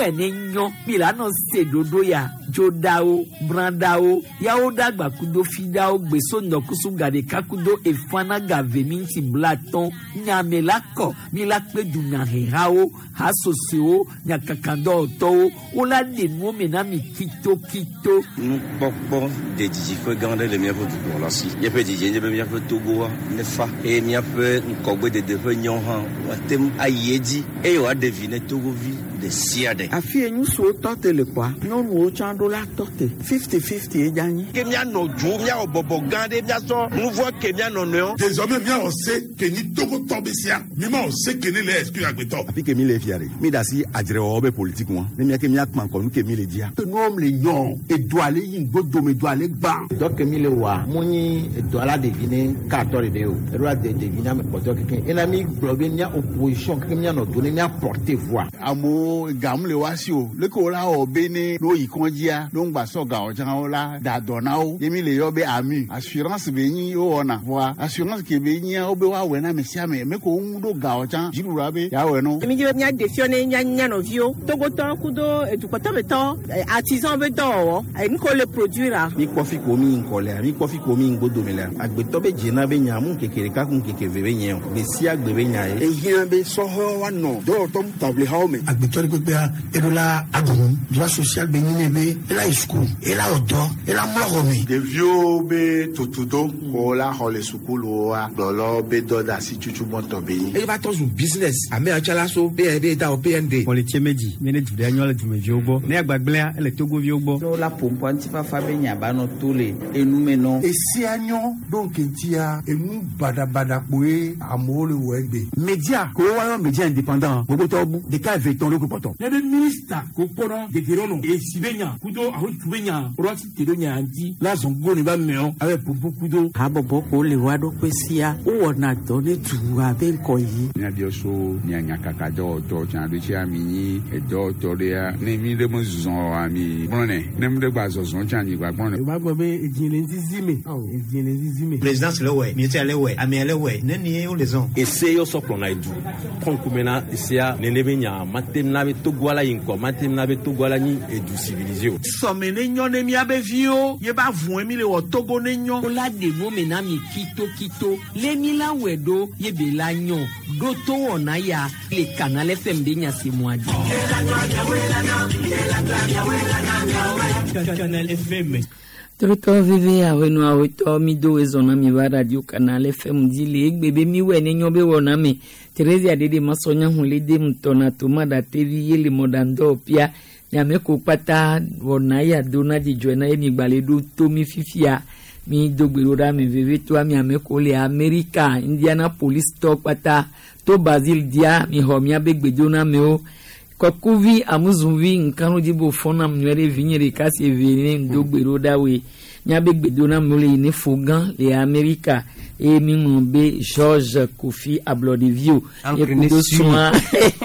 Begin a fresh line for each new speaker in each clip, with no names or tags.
wɛ ne nyɔ mi la nɔ se ɖoɖo ya dzoɖawo brãɖawo yawo ɖagba kudo fiɖawo gbeso ŋdɔkusu gaɖeka kudo efana gave minti blatɔn nyame la kɔ mi la kpe dunyahehawo hasosoewo nyakakadɔwɔtɔwo wola ɖe nuwo me na mi kitokito.
Nukpɔkpɔ de dzidziƒe gã aɖe le míaƒe dukplɔla si. Míaƒe dzidzie nye be míaƒe Togoa nefa eye míaƒe ŋgɔgbedede ƒe nyɔ hã woate ŋu ayi edzi eye wòaɖe vi ne Togovi ɖe sia ɖe.
Afi ye ŋutsuwo tɔ te le kpɔa, nyɔnuwo tsã ɖo la tɔ te. 50-50 ye dze anyi.
Ke míanɔ dzo, míawɔ bɔbɔ gã ɖe, míasɔ nu vɔ̃ ke mía nɔnɔewo.
Désormais míawɔ se ke nyi Togotɔ be sia. Mímawɔ se ke ne le exclure agbetɔ.
Afi ke mi le fia ɖe, mi da asi adzrewɔwɔ be politique ŋua, ne mía ke mía kpa ŋkɔ nu ke mi le dzia.
Nuwo le nyɔ, edoa le yi ŋgbodome, doa le gbã.
Dɔ ke mi le wɔa, mu nyi edoa la ɖevi ne katɔ ɖeɖe o, eɖo la de ɖevi ne ame kpɔtɔe kekeŋ. Ena mi gblɔ be mía opposition kekeŋ míanɔ do ne mía porter voix.
Amewo gam le woa si o, leke wo la wɔ be ne ne woyi kɔdzia, ne woŋgba sɔ gawo tsã wo la da dɔ na wo. Ye mi le yɔ be AMU, assurance be nyi wowɔna. Vɔa assurance ke be nyia wo be woawɔe na ame sia ame. Me ko wo ŋu ɖo gawo tsã, dziɖuɖua be yeawɔe no.
Mi dzi be míaɖe fiɔ ne mía mía nɔviwo, Togotɔwo kudo edukpɔtɔmetɔ, artisan be dɔwɔwɔ, nu ke wole produire a.
Mi kpɔ fi ko mi yi ŋkɔ lea, mi kpɔ fi ko mi yi ŋgbodome lea, agbetɔ be dzena be nya mu ŋkeke ɖeka ku ŋkeke eve be nye o, gbe sia gbe be nya ye.
Ehiã be sɔhɛwo woanɔ dɔwɔtɔ taʋlihawo me.
Agbetɔ ɖe kpekpea, eɖo la aɖu nu. Droit social be nyi nɛ be ela yi suku, ela wɔ dɔ, ela mlɔ xɔ me.
Ɖeviwo be tutudo ko la xɔ le sukuluwoa, kplɔlawo be dɔdeasi tutu gbɔtɔ be nyi.
Eye va tɔ zu business ame ya tsa la so PND ta o PND.
Kpɔlitse medzi mi ne du ɖe nyɔ le dumeviwo gbɔ. Ne agbagblẽa ele Togoviwo gbɔ.
Ne wola ƒoƒua ŋutifafa be nya ba nɔ to le enu me nɔ.
Esia nyɔ ɖo ŋkeŋtia enu baɖabaɖa kpoe amewo le wɔ egbe.
Media ko woayɔ media indépendant gbogbotɔwo bu ɖeka eve tɔn ɖokui kpɔtɔ.
Ne be minista ko kpɔnɔ gege nɔ esi be nya kudo ahotu be nya ɖo asi te ɖo nya ŋuti la zɔn go ne ba meɔ abe ƒoƒo kudo.
Habɔbɔ ko le wa ɖokui sia wowɔna dɔ ne dua be ŋkɔ yi.
Míabiɔ so mia nyakakadɔwɔtɔ tsã ɖo tsia mi nyi edɔwɔtɔ ɖea ne mi ɖe me zɔ ami gblɔnɛ ne mi ɖe gba zɔzɔ tsã mi gba gblɔnɛ.
O b'a gbɔ be edzi le zizi me edzi le zizi me.
Présidence le wɛ, ministère le wɛ, amea le wɛ, ne ni wo le zɔn.
Ese yɔ sɔ kplɔna edu kɔnkume na esea nene be nya mate na be Togoa la yi ŋkɔ mate na be Togoa la nyi edu civilisé o.
Sɔme ne nyɔ ne míabe viwo ye ba vɔe mi le wɔ Togo ne nyɔ.
Wola ɖe nuwo me na mi kitokito le mi la wɔe ɖo ye be la nyɔ ɖo to wɔna ya le Canal FM ɖe nya si mua dzi.
Canal FM.
Trotɔ veve awenu awetɔ mi do ezɔna mi va radio Canal FM dzi le egbe be mi wɔ ne nyɔ be wɔna me. Theresia ɖeɖe masɔnya hun le dem tɔna toma ɖa tevi ye le mɔɖaŋdɔ pia. Nyame ko kpata wɔna ya do na dzidzɔe na ye mi gba le ɖo to mi fifia. Mi do gbe ɖo ɖa me veve toa mi ame ko le Amerika, Indianapolis tɔ kpata to Brazil dia mi xɔ miabe gbedonamewo. Kɔkuvi amuzuvi nkanudzi bo fɔnam nyuie ɖe vinye ɖeka si eve ne ŋdo gbe ɖo ɖa woe. Miabe gbedonamewo le yi ne Fogan le Amerika eye mi ŋlɔ be George Kofi Ablɔɖevio.
Ancre
Ye kudo
ne su.
srɔ̃a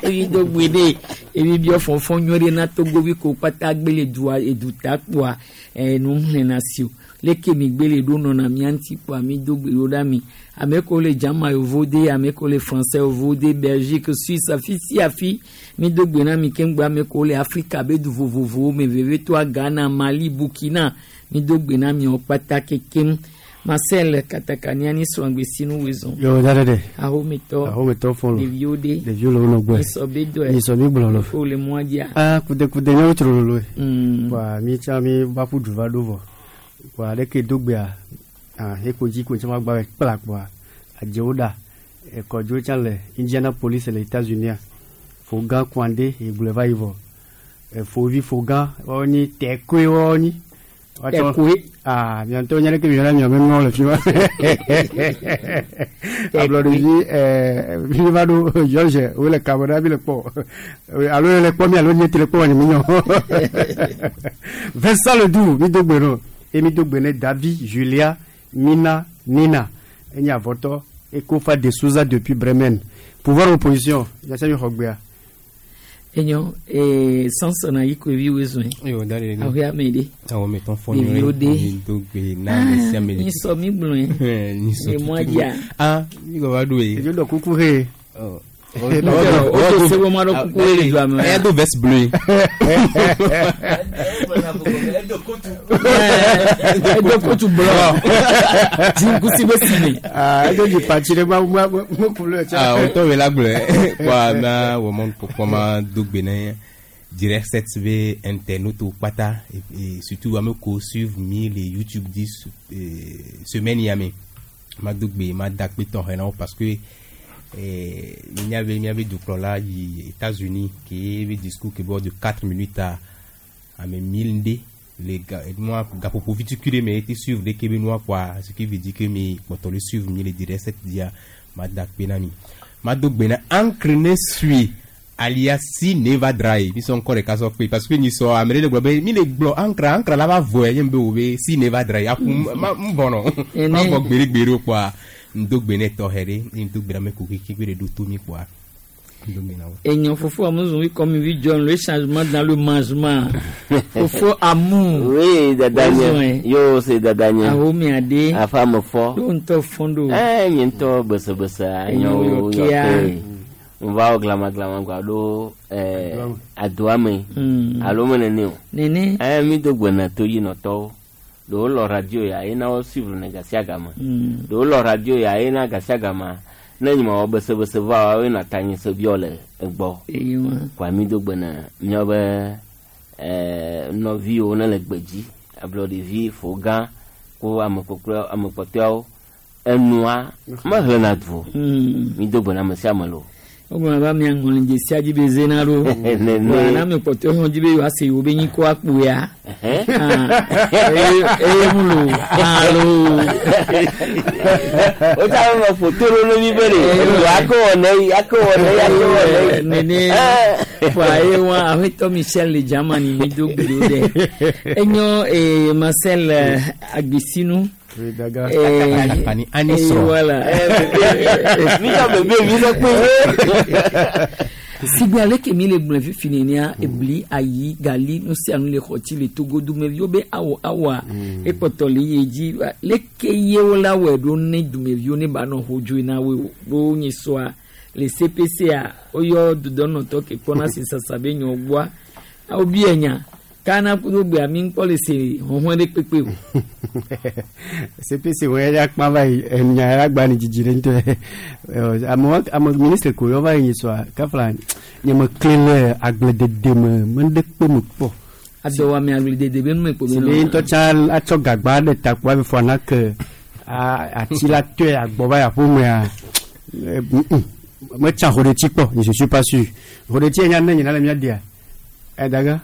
evi do gbe ɖe evi biɔ fɔfɔ nyuie ɖe na Togovi ko kpata gbe le dua eduta kpoa nu xlẽna si o. Leke mi gbe le ɖo nɔna mía ŋuti kpoa mi do gbe ɖo ɖa mi. Ame kewo le Dzama yovo de, ame kewo le Français yovo de, Belgique, Suisse, afi sia afi mi do gbe na mi keŋgbe ame kewo le Afrika be du vovovowo me vevetɔa Ghana, Mali, Burkina mi do gbe na miawo kpata kekem. Marcel Katakania ni srɔ̃gbe sinu wezɔn.
Yo da ɖe.
Ahometɔ.
Ahometɔ fɔlɔ.
Ɖeviwo ɖe.
Ɖeviwo le wo nɔ gbɔe.
Nyisɔ be dɔe.
Nyisɔ mi gblɔ lɔ.
Wo le mɔa dzia.
Ah kude kude nyawo tsro lolo. Wa mi tsã mi va ƒu du va ɖo vɔ. Wa ɖeke do gbea. Ah eko dzi ko tsã va gba kpla kpoa. Adzewo ɖa. Ekɔdzo tsã le Indianapolis le États-Unis. Fogan Kwande egblɔe va yi vɔ. Efovi Fogan wɔnyi tɛkoe wɔnyi.
Tɛkoe.
Ah miantɔ nye ɖeke mi yɔna miame nuwo le fi ma. Ablɔɖevi mi va ɖo George wo le kame ɖa mi le kpɔ alo le kpɔ mi alo nye ti le kpɔ nye mi nyɔ. Vincent Ledoux mi do gbe nɔ eye mi do gbe ne David Julia Mina Nina enye avɔtɔ Ekofa de Souza depuis Bremen. Pouvoir opposition yasa mi xɔ gbea.
Enyo Samson ayi ko evi wezɔn.
Yo da ɖe.
Aho ya me ɖe.
Ahometɔ fɔ
Ɖeviwo ɖe.
Mi do gbe na ame sia ame le.
Nyisɔ mi gblɔe.
Nyisɔ
Le mɔa dzia.
Ah mi gba va ɖo ye.
Edzo dɔ kuku he.
Ɔ
O se wo ma ɖo kuku le dua me.
Eya do veste bleue.
Edo kotu blanc. Jinkusi be sime.
Ah, edo dzi patsi ɖe ma ma ma couleur tsa.
Ah, o tɔ wele agblɔe. Kɔa na wɔ mɔnu kpɔkpɔ ma do gbe ne direct set be internaute kpata et surtout ame ko suivre mi le YouTube di semaine ya me. Ma do gbe ma da kpe tɔxɛ na wo parce que miabe miabe dukplɔla yi États-Unis ke be discours ke bɔ de 4 minutes à ame 1000 nde le ga nua gaƒoƒo vitukui ɖe me ete suivre ɖeke be nua kɔa, ce qui veut dire que mi kpɔtɔ le suivre mi le direct set dia, ma da kpe na mi. Ma do gbe na Ancre ne sui alias si neva dry mi sɔn kɔ ɖeka sɔ kpe parce que nyi sɔ ame ɖe le gblɔ be mi le gblɔ ancre ancre la va vɔe nye be wo be si neva dry aƒu ma n bɔnɔ ma vɔ gbeɖegbeɖe o kɔa ŋdo gbe ne tɔxɛ ɖe eye ŋdo gbe na ame ko keke gbe ɖe ɖo to mi kɔa ŋdo gbe na wo.
Enyo fofo amuzu oui comme oui John le changement dans le mangement. Fofo amour.
Oui, dadanye. Yo, c'est dadanye.
Awo mi ade.
Afa me fɔ.
Do ŋutɔ fɔndo.
Eh, nye ŋutɔ besebese
Enyo
anyo
yɔkea.
yɔke. Nva wɔ glama glama gba ɖo eh, adoa me. Alo me nene o.
Nene.
Eh, mi do gbe na toyinɔtɔwo. Ɖewo lɔ radio ya ye na wo suivre ne gasiagame. Ɖewo lɔ radio ya ye na gasiagama. Ne nye ma wɔ besebese va wa ye na ta nye se biɔ le egbɔ.
Eyi wa.
Kɔa mi do gbe na míabe eh, nɔviwo ne le gbedzi ablɔɖevi fo gã ko ame kpɔkplɔ ame kpɔtɔeawo enua mehlena du o. Mi do gbe na ame sia ame lo.
Wogblɔ be mia ŋlɔ dzesia dzi be zena ɖo.
Nene.
Wa na ame kpɔtɔewo hã dzi be yewoase yewo be nyikɔ akpoya. Ah, eye eye mu lo. Alo.
O ta me foto ɖo ne mi be ɖe enu akɔ wɔ ne yi akɔ wɔ ne yi akɔ wɔ ne yi.
Nene. Wa ye wa aƒetɔ Michel le Germany mi do gbe ɖo ɖe. Enyo eh, Marcel Agbesinu.
Oui, daga.
Eh,
Ani ani
eh,
srɔ̃.
voilà.
Mi ka bebe mi ɖe kpe.
Sigbe aleke mi le gblɔe fifi nenea ebli ayi gali nu sia nu le xɔtsi le Togo dumeviwo be awɔ awɔa ekpɔtɔ le ye dzi leke ye wo la wɔe ɖo ne dumeviwo ne ba nɔ hodzoe na woe o ɖo nye sɔa le CPC-a woyɔ dudɔnɔtɔ ke kpɔna se sasa be nyɔ gbɔa awo bia nya kana kudo gbea mi ŋkpɔ le se hɔhɔn ɖe kpekpe o.
CPC wo ya kpa va yi enya ya gba ni dzidzi ɖe ŋutɔ. Amewo ame ministre ko yɔ va yi sɔa kafla nye me kle le agbledede me me ɖe kpe me kpɔ.
Adɔwɔame agbledede be nu me kpo be
Si be ŋutɔ tsã atsɔ gagba ɖe ta kpo hafi fɔ na ke ati la tɔe agbɔ va yi aƒemea metsa hoɖetsi kpɔ je suis pas sûr. Hoɖetsi nya ne nyina le mía dia edaga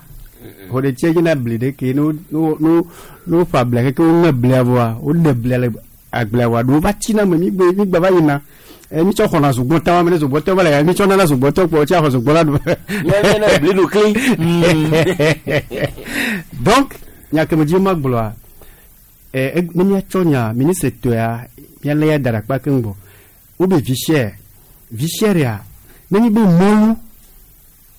hoɖetsi nyina bli ɖe ke no no no no ƒa blia keke woŋe blia vɔa woɖe blia le agblea vɔa ɖewo va tsina me mi gbe mi gba va yina mi tsɔ xɔna zogbɔtɔ wa me ne zogbɔtɔ va le ya mi tsɔ nana zogbɔtɔ kpɔ tsi axɔ zogbɔ la ɖu.
Mía ne bli ɖu kli.
Donc nya ke me dzi ma gblɔa ne míatsɔ nya ministre tɔa míalé ya da ɖe akpa keŋ gbɔ wobe vi cher ya nenye be mɔlu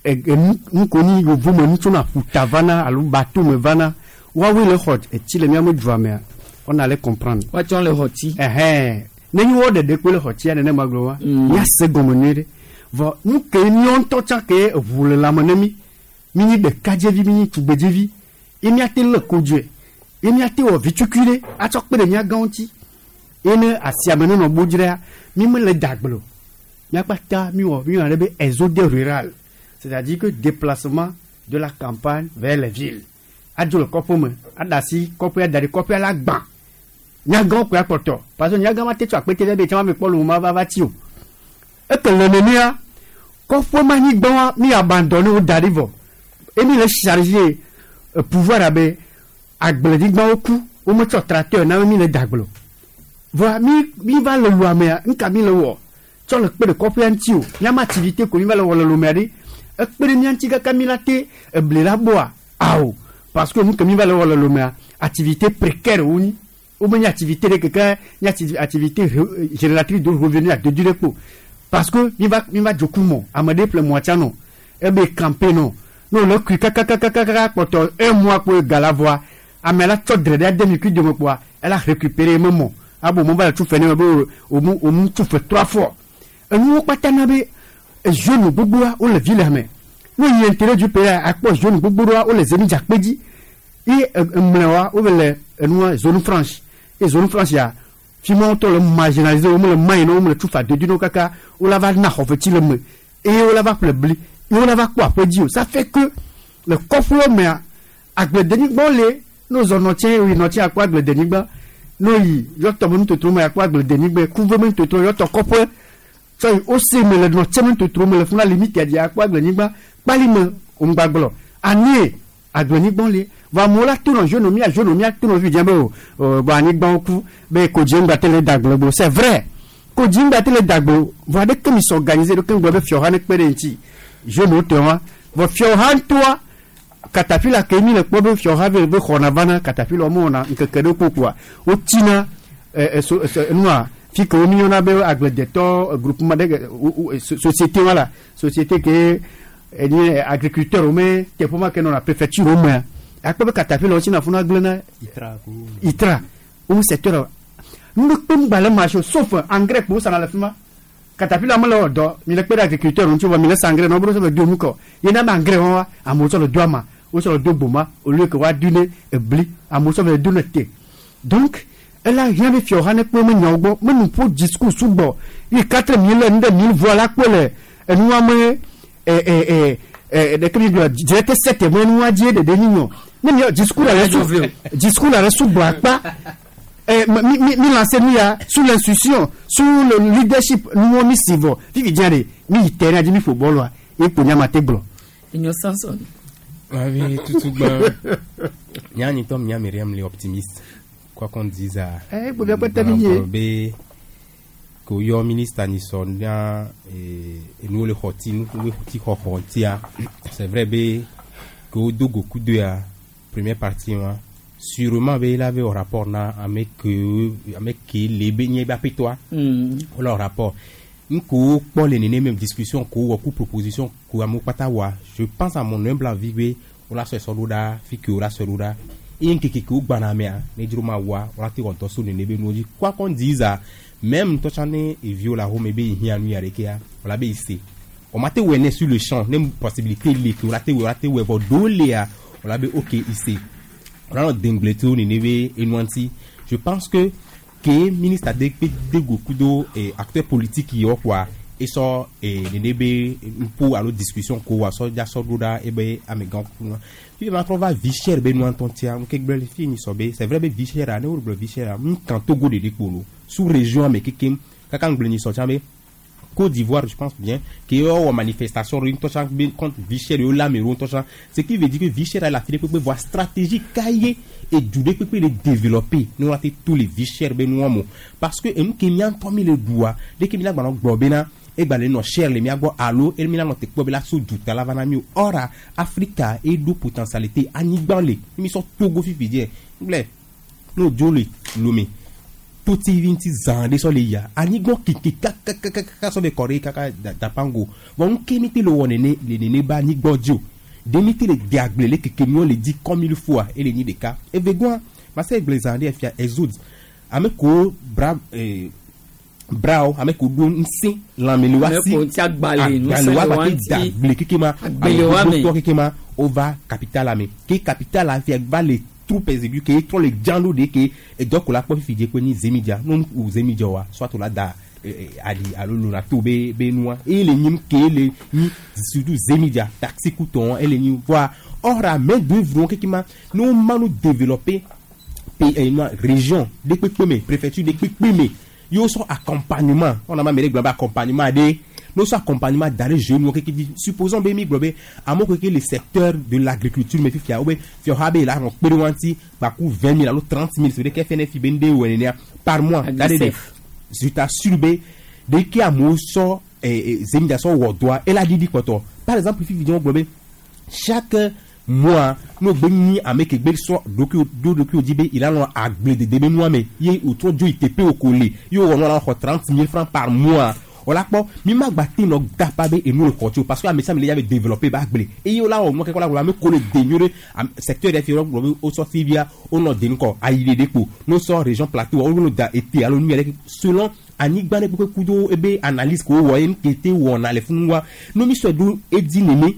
enu ko ni yevu me nu tsona ƒuta vana alo bateau me vana woawoe le xɔ etsi le míame dua mea on allait comprendre.
Woatsɔ le xɔ tsi.
Ɛhɛn nenye wo ɖeɖe koe le xɔ tsia nenema gblɔ wa míase gɔme nyuie ɖe vɔ nu ke míawo ŋutɔ tsã ke eʋu le lãme ne mí mi nyi ɖekadzevi mi nyi tugbedzevi ye míate lé kodzoe ye míate wɔ vitukui ɖe atsɔ kpe ɖe mía gãwo ŋuti ye ne asiame ne nɔ bo dzraa mi mele dagble o míakpata mi wɔ mi yɔna ɖe be exode rural, c'est-à-dire que déplacement de la campagne vers les villes adzo le kɔƒe me aɖe asi kɔƒea da ɖi kɔƒea la gbã nyagãwo koe akpɔtɔ parce que nyagã ma te tso akpete ɖe be tsã ma me kpɔ le wo ma va va tsi o eke le nenea kɔƒe ma nyigba wa mi abandonné wo da ɖi vɔ emi le chargé pouvoir abe agblenyigbawo ku wometsɔ tracteur na mi le dagble o vɔa mi mi va le luamea nka mi le wɔ tsɔ le kpe ɖe kɔƒea ŋuti o míama activité ko mi va le wɔ le lomea ɖi ekpe ɖe mía ŋuti kaka mi la te ebli la gbɔa awo parce que nu ke mi va le wɔ le lomea activité précaire wo nyi womenye activité ɖe keke nye activité génératrice de revenu adodo ɖe kpo parce que mi va mi va dzoku mɔ ame ɖe ƒle mɔa tsã nɔ ebe campé nɔ ne wòle kui kakakakaka kpɔtɔ un mois kpo gala vɔa ame la tsɔ dre ɖe ade mi kui dome kpoa ela récupérer eme mɔ abo mo va le tu fɛ ne me be omu omu tu fɛ trois fois enuwo kpata na be Jeune gbogboa wole ville me. Ne yi intérêt du pays akpɔ jeune gbogbo ɖoa wole zemidza kpe dzi. Ye emlɛwa wove le enua zone franche. Ye zone franche ya fi ma wotɔ le marginalisé wo mele mayi na wo mele tufa dodo na wo kaka wola va na xɔfetsi le me eye wola va ƒle bli eye wola va kpɔ aƒe dzi o. Ça fait que le kɔƒewo mea agbledenyigbawo le ne wozɔ nɔtse yi nɔtse akpɔ agbledenyigba ne woyi yɔtɔ me nutotro me akpɔ agbledenyigba kuve me nutotro yɔtɔ kɔƒe tsɔ yi ose me le nɔtse me nutotro me le funa limite dzi akpɔ agblenyigba kpali me ŋgbagblɔ anie agblenyigbawo le vɔ amewo la to nɔ jeune mia jeune mia to nɔ fi dze be o bɔn anyigbawo ku be kodzi ŋgba te le dagble gbo c'est vrai kodzi ŋgba te le dagble vɔ aɖeke mi s'organiser ɖeke ŋgblɔ be fiɔha ne kpe ɖe ŋuti jeune wo tɔ wa vɔ fiɔha ŋutɔa katapila ke mi le kpɔ be fiɔha be be xɔna vana katapila wo mewɔna ŋkeke ɖe kpokpoa wotsina ɛ ɛ so so nua fi ke wo mi yɔna be agbledetɔ groupement ɖe société wa la société ke enye agriculteur wo me teƒe ma ke nɔna préfecture wo mea akpɔ be katapila wo tsina funa gblẽna itra wo secteur nu kpe ŋgba le marché sauf engrais kpo wosana le fi ma katapila mele wɔ dɔ mi le kpe ɖe agriculteur ŋuti vɔ mi le sa engrais na wo be ɖo be do nu kɔ yena be engrais wa wa amewo tsɔ le do ama wotsɔ le do gboma au lieu que woadui ne ebli amewo tsɔ le do ne te donc ela hiã be fiawo hã ne kpe me nyawo gbɔ me nu ƒo discours sugbɔ yi quatre mille nu ɖe mille voix la kpe le enua me ɛ ɛ ɛ ɛ ɖeke mi gblɔ direct sept me nua dzi ɖeɖe nyi nyɔ ne mi discours la le su discours la le sugbɔ akpa mi mi mi lancé nu ya sous l'instruction sous le leadership nuwo mi si vɔ fifi dzia ɖe mi yi terrain dzi mi ƒo bɔlua ye kpo nyama te gblɔ.
Enyo Samson.
Avi tutugba. Nya ni tom nya Myriam le optimiste. Quoi qu'on dise à.
Eh, bo bia kpete mi nye.
Be ko yɔ ministre ni sɔ nya enu le xɔti nu le xɔti xɔxɔ tia. C'est vrai be ko do goku de ya première partie wa. Sûrement be il avait un rapport na avec avec le be nye ba petoa. Wala rapport. Nko kpɔ le nene même discussion ko wɔ ku proposition ko amewo kpata wa. Je pense à mon humble avis be wola sɔ sɔ ɖo ɖa fi ke wola sɔ ɖo ɖa. Eye ŋkeke ke wogbana mea ne dzro ma wa wola te wɔntɔ so nene be nuwo dzi. Quoi qu'on dise même ŋutɔ tsã ne eviwo le ahome be yehiã nu ya ɖekea wola be yi se. O ma te wɔe ne sur le champ ne possibilité le ke wola te wɔe wola te wɔe vɔ ɖewo lia wola be ok yi se. Wola nɔ dengble tso nene be enua ŋuti. Je pense que ke ministre de kpe de goku do acteur politique yiwo kpoa esɔ nene be ŋpo alo discussion ko wa sɔ dza sɔ ɖo ɖa ebe amegã ku nua. Fi ma trɔ va vie chère be nua ŋutɔ tia ŋke gblẽ le fi nyi sɔ be c'est vrai be vie chère ne wo gblɔ vie chère ŋu kan Togo ɖeɖe kpo lo sous région me kekem kaka ŋgblẽ nyi sɔ tsã be Côte d'Ivoire, je pense bien, qui est en manifestation, contre vie chère, ce qui veut dire que vie chère, elle a fait des voie stratégique cahier et du le développer. Nous avons tous les vie chères, nous parce que nous qui avons mis le doigt, dès que nous avons globena, et ben les cher les miago allo et milan te ko bela so du tala vana mi ora Africa et do potentialité anigban le mi so Togo fifi die ngle no jole lomé tout ti zande so le ya anigban kiki kaka so be kore kaka dapango bon ke mi te lo wone ne le nene ba anigban dio de mi te le diagle le keke mi on le dit comme il faut et le ni de cas et vegoin ma se gle zande fia exode ame ko bra brao ame ko do nse lamele wa si agbale wa ba te dagble keke ma agbele keke ma ova capital ame ke capital a fia va le troupes exiguës ke trop le dialo de ke et donc la ko fi je ko ni zemidia non ou zemidia wa soit la da ali alo na to be be noa et le nyim ke le ni surtout zemidia taxi couton et le ni voir or a main d'œuvre keke ma nous ma nous développer pays région de kpekpeme préfecture de kpekpeme yo so accompagnement on a ma méré global accompagnement de nous so accompagnement d'aller jeune qui dit supposons be mi globé à mon que le secteur de l'agriculture mais fia ouais fia habe là on pérouanti ba ku 20 000 alors 30 000 c'est que FNF bende ou par mois d'aller je t'assure be dès qu'il a mo so zemida so wodoa et la dit quoi toi par exemple fi vidéo globé chaque moi nous béni avec que so docu docu dit il a non agblé de débé moi mais il ou trop dio ITP au collé yo on a 30 000 francs par mois on l'a pas mi ma gbaté no dapa be et nous le contrôle parce que amesa il avait développé ba agblé et yo là on moi quelque la me collé dégnore secteur des fiero au sorti via on no dénko aïlé dépôt nous sort région plateau on nous da été alors nous selon Anyigba ne kpekpe kudo ebe analyse ko wɔ ye nu ke te wɔna le funu wa no mi sɔe do edi nene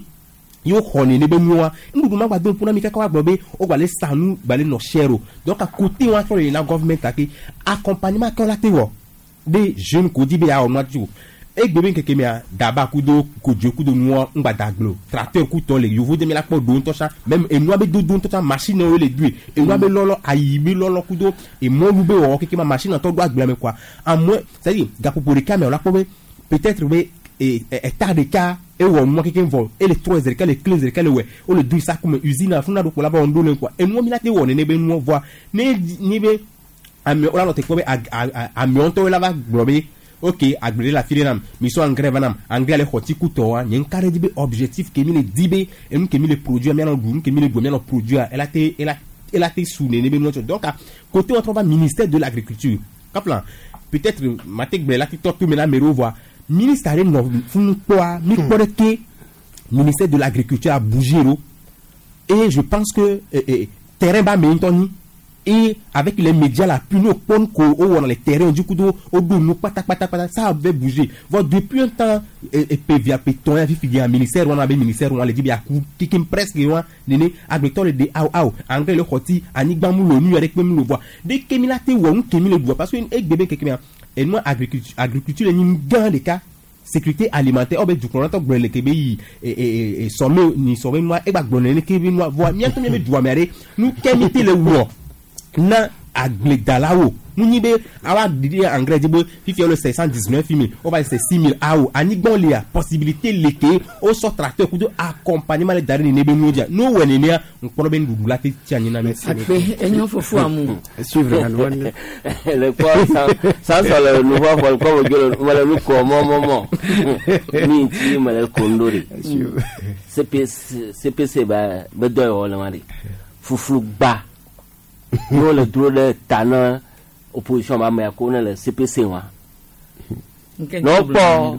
ye woxɔ nene be nua nuɖuɖu ma gba do ŋku na mi kaka wa gblɔ be wo gba le sa nu gba le nɔ cher o. Donc à côté wa trɔ le na government ake accompagnement ke la te wɔ be jeune ko di be ya wɔ nua tso egbe be ŋkeke mea daba kudo kodzo kudo nua ŋgba da gble o. Tracteur kutɔ le yovo de mi la kpɔ do ŋutɔ sa même enua be dodo ŋutɔ sa machine wo le doe enua be lɔlɔ ayi be lɔlɔ kudo emɔlu be wɔwɔ keke ma machine tɔ do agblea me quoi. En moins, c'est à dire gaƒoƒo ɖeka me o la kpɔ be peut-être be eta ɖeka ewɔ nua keke vɔ ele trɔ zi ɖeka le kle zi ɖeka le wɔe wole do saku me usine afuna ɖo kpo la va wɔ ŋɖo le quoi. Enua mi la te wɔ nene be nua vɔa ne ni be amewo la nɔ te kpɔ be amewo ŋutɔwoe la va gblɔ be ok agble ɖe le afi ɖe nam mi sɔ engrais va nam engrais le xɔ tikutɔ wa nye ŋka ɖe dzi be objectif ke mi le di be enu ke mi le produire mianɔ ɖu nu ke mi le ɖu mianɔ produire ela te ela ela te su nene be nua tsɔ. Donc côté wɔtrɔ va ministère de l'agriculture kaplan peut-être mate gblẽ la titɔ to me na ame ɖewo vɔa ministre aɖe nɔ funu kpɔa mi kpɔ ɖe ke ministère de l'agriculture a bougé ɖo et je pense que terrain ba me ŋutɔ nyi. Et avec les médias là, puis nous, on on les terrains, du coup, on nous, pata, pata, pata, ça avait bougé. Bon, depuis un temps, et PVA, Péton, il y a un ministère, on avait un ministère, on a dit, il y a qui qui presque, on a, néné, agriculteur, le dé, aou, aou, engrais, le rôti, anigba, mou, le nu, avec même le voit. Dès que mi la te, ou, on, que mi le voit, parce que, et bébé, que mi, et moi, agriculture, agriculture, il y a une grande cas, sécurité alimentaire, oh, ben, du coup, on entend que le Québec, et, sommet, ni sommet, moi, et bah, le Québec, moi, voit, mi, mi, mi, doit, mais, allez, nous, qu'est-ce que le roi? Na agbledalawo nu nyi be awa didi engrais di be fifia le 519 000 o va c'est 6 000 awo anyigba le a possibilité le ke o sɔ tracteur kudo accompagnement le da ɖe nene be nuwo dzia no wɔ nenea ŋkpɔnɔ be nuɖuɖu la te tsi anyi na mi.
Akpe enyo fofo amu.
Suivre la loi.
Le kpɔ san sɔ le nu fɔ fɔ kɔ mo dzo le me le nu kɔ mɔ mɔ mɔ mi ŋuti me le kondo de. CPC CPC ba be dɔ yɔ le ma de fuflu gba ne wole dro ɖe ta na opposition ba me ko ne le CPC wa. Ne wokpɔ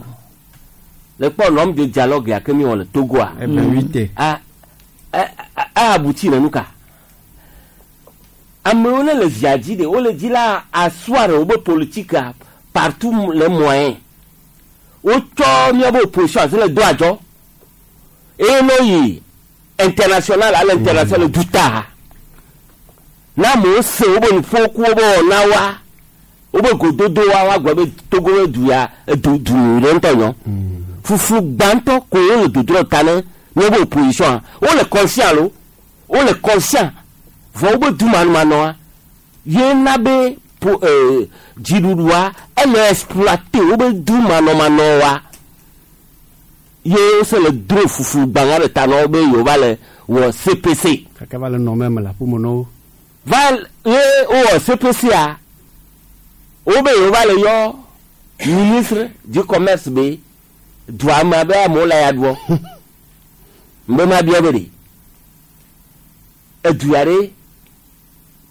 le kpɔ nɔm de dialogue ya ke mi wɔ le Togoa.
Eh ben, huit.
A a a abouti le nu ka. Amewo ne le via dzi de wole dzi la asseoir wobe politique partout les moyens. Wotsɔ míabe opposition asi le do adzɔ. Eye ne yi international à l'international du ta. Na amewo se wobe nuƒo ku wobe wɔna wa wobe gododo wa wa gblɔ be Togo be du ya du du ɖe ŋutɔ nyɔ. Fufu gbãtɔ ko wole dodro ta ne míabe opposition wole conscient lo wole conscient vɔ wobe du manumanɔa ye na be po dziɖuɖua ele exploiter wobe du manɔmanɔ wa ye wose le dro fufu gbãŋa ɖe ta na wo be yewo va le wɔ CPC.
Kaka va le nɔ meme le aƒeme na wo.
Va ye wowɔ CPC a wobe yewo va le yɔ ministre du commerce be dua me abe amewo le ya ɖuɔ mbe ma bia be ɖe edu ya ɖe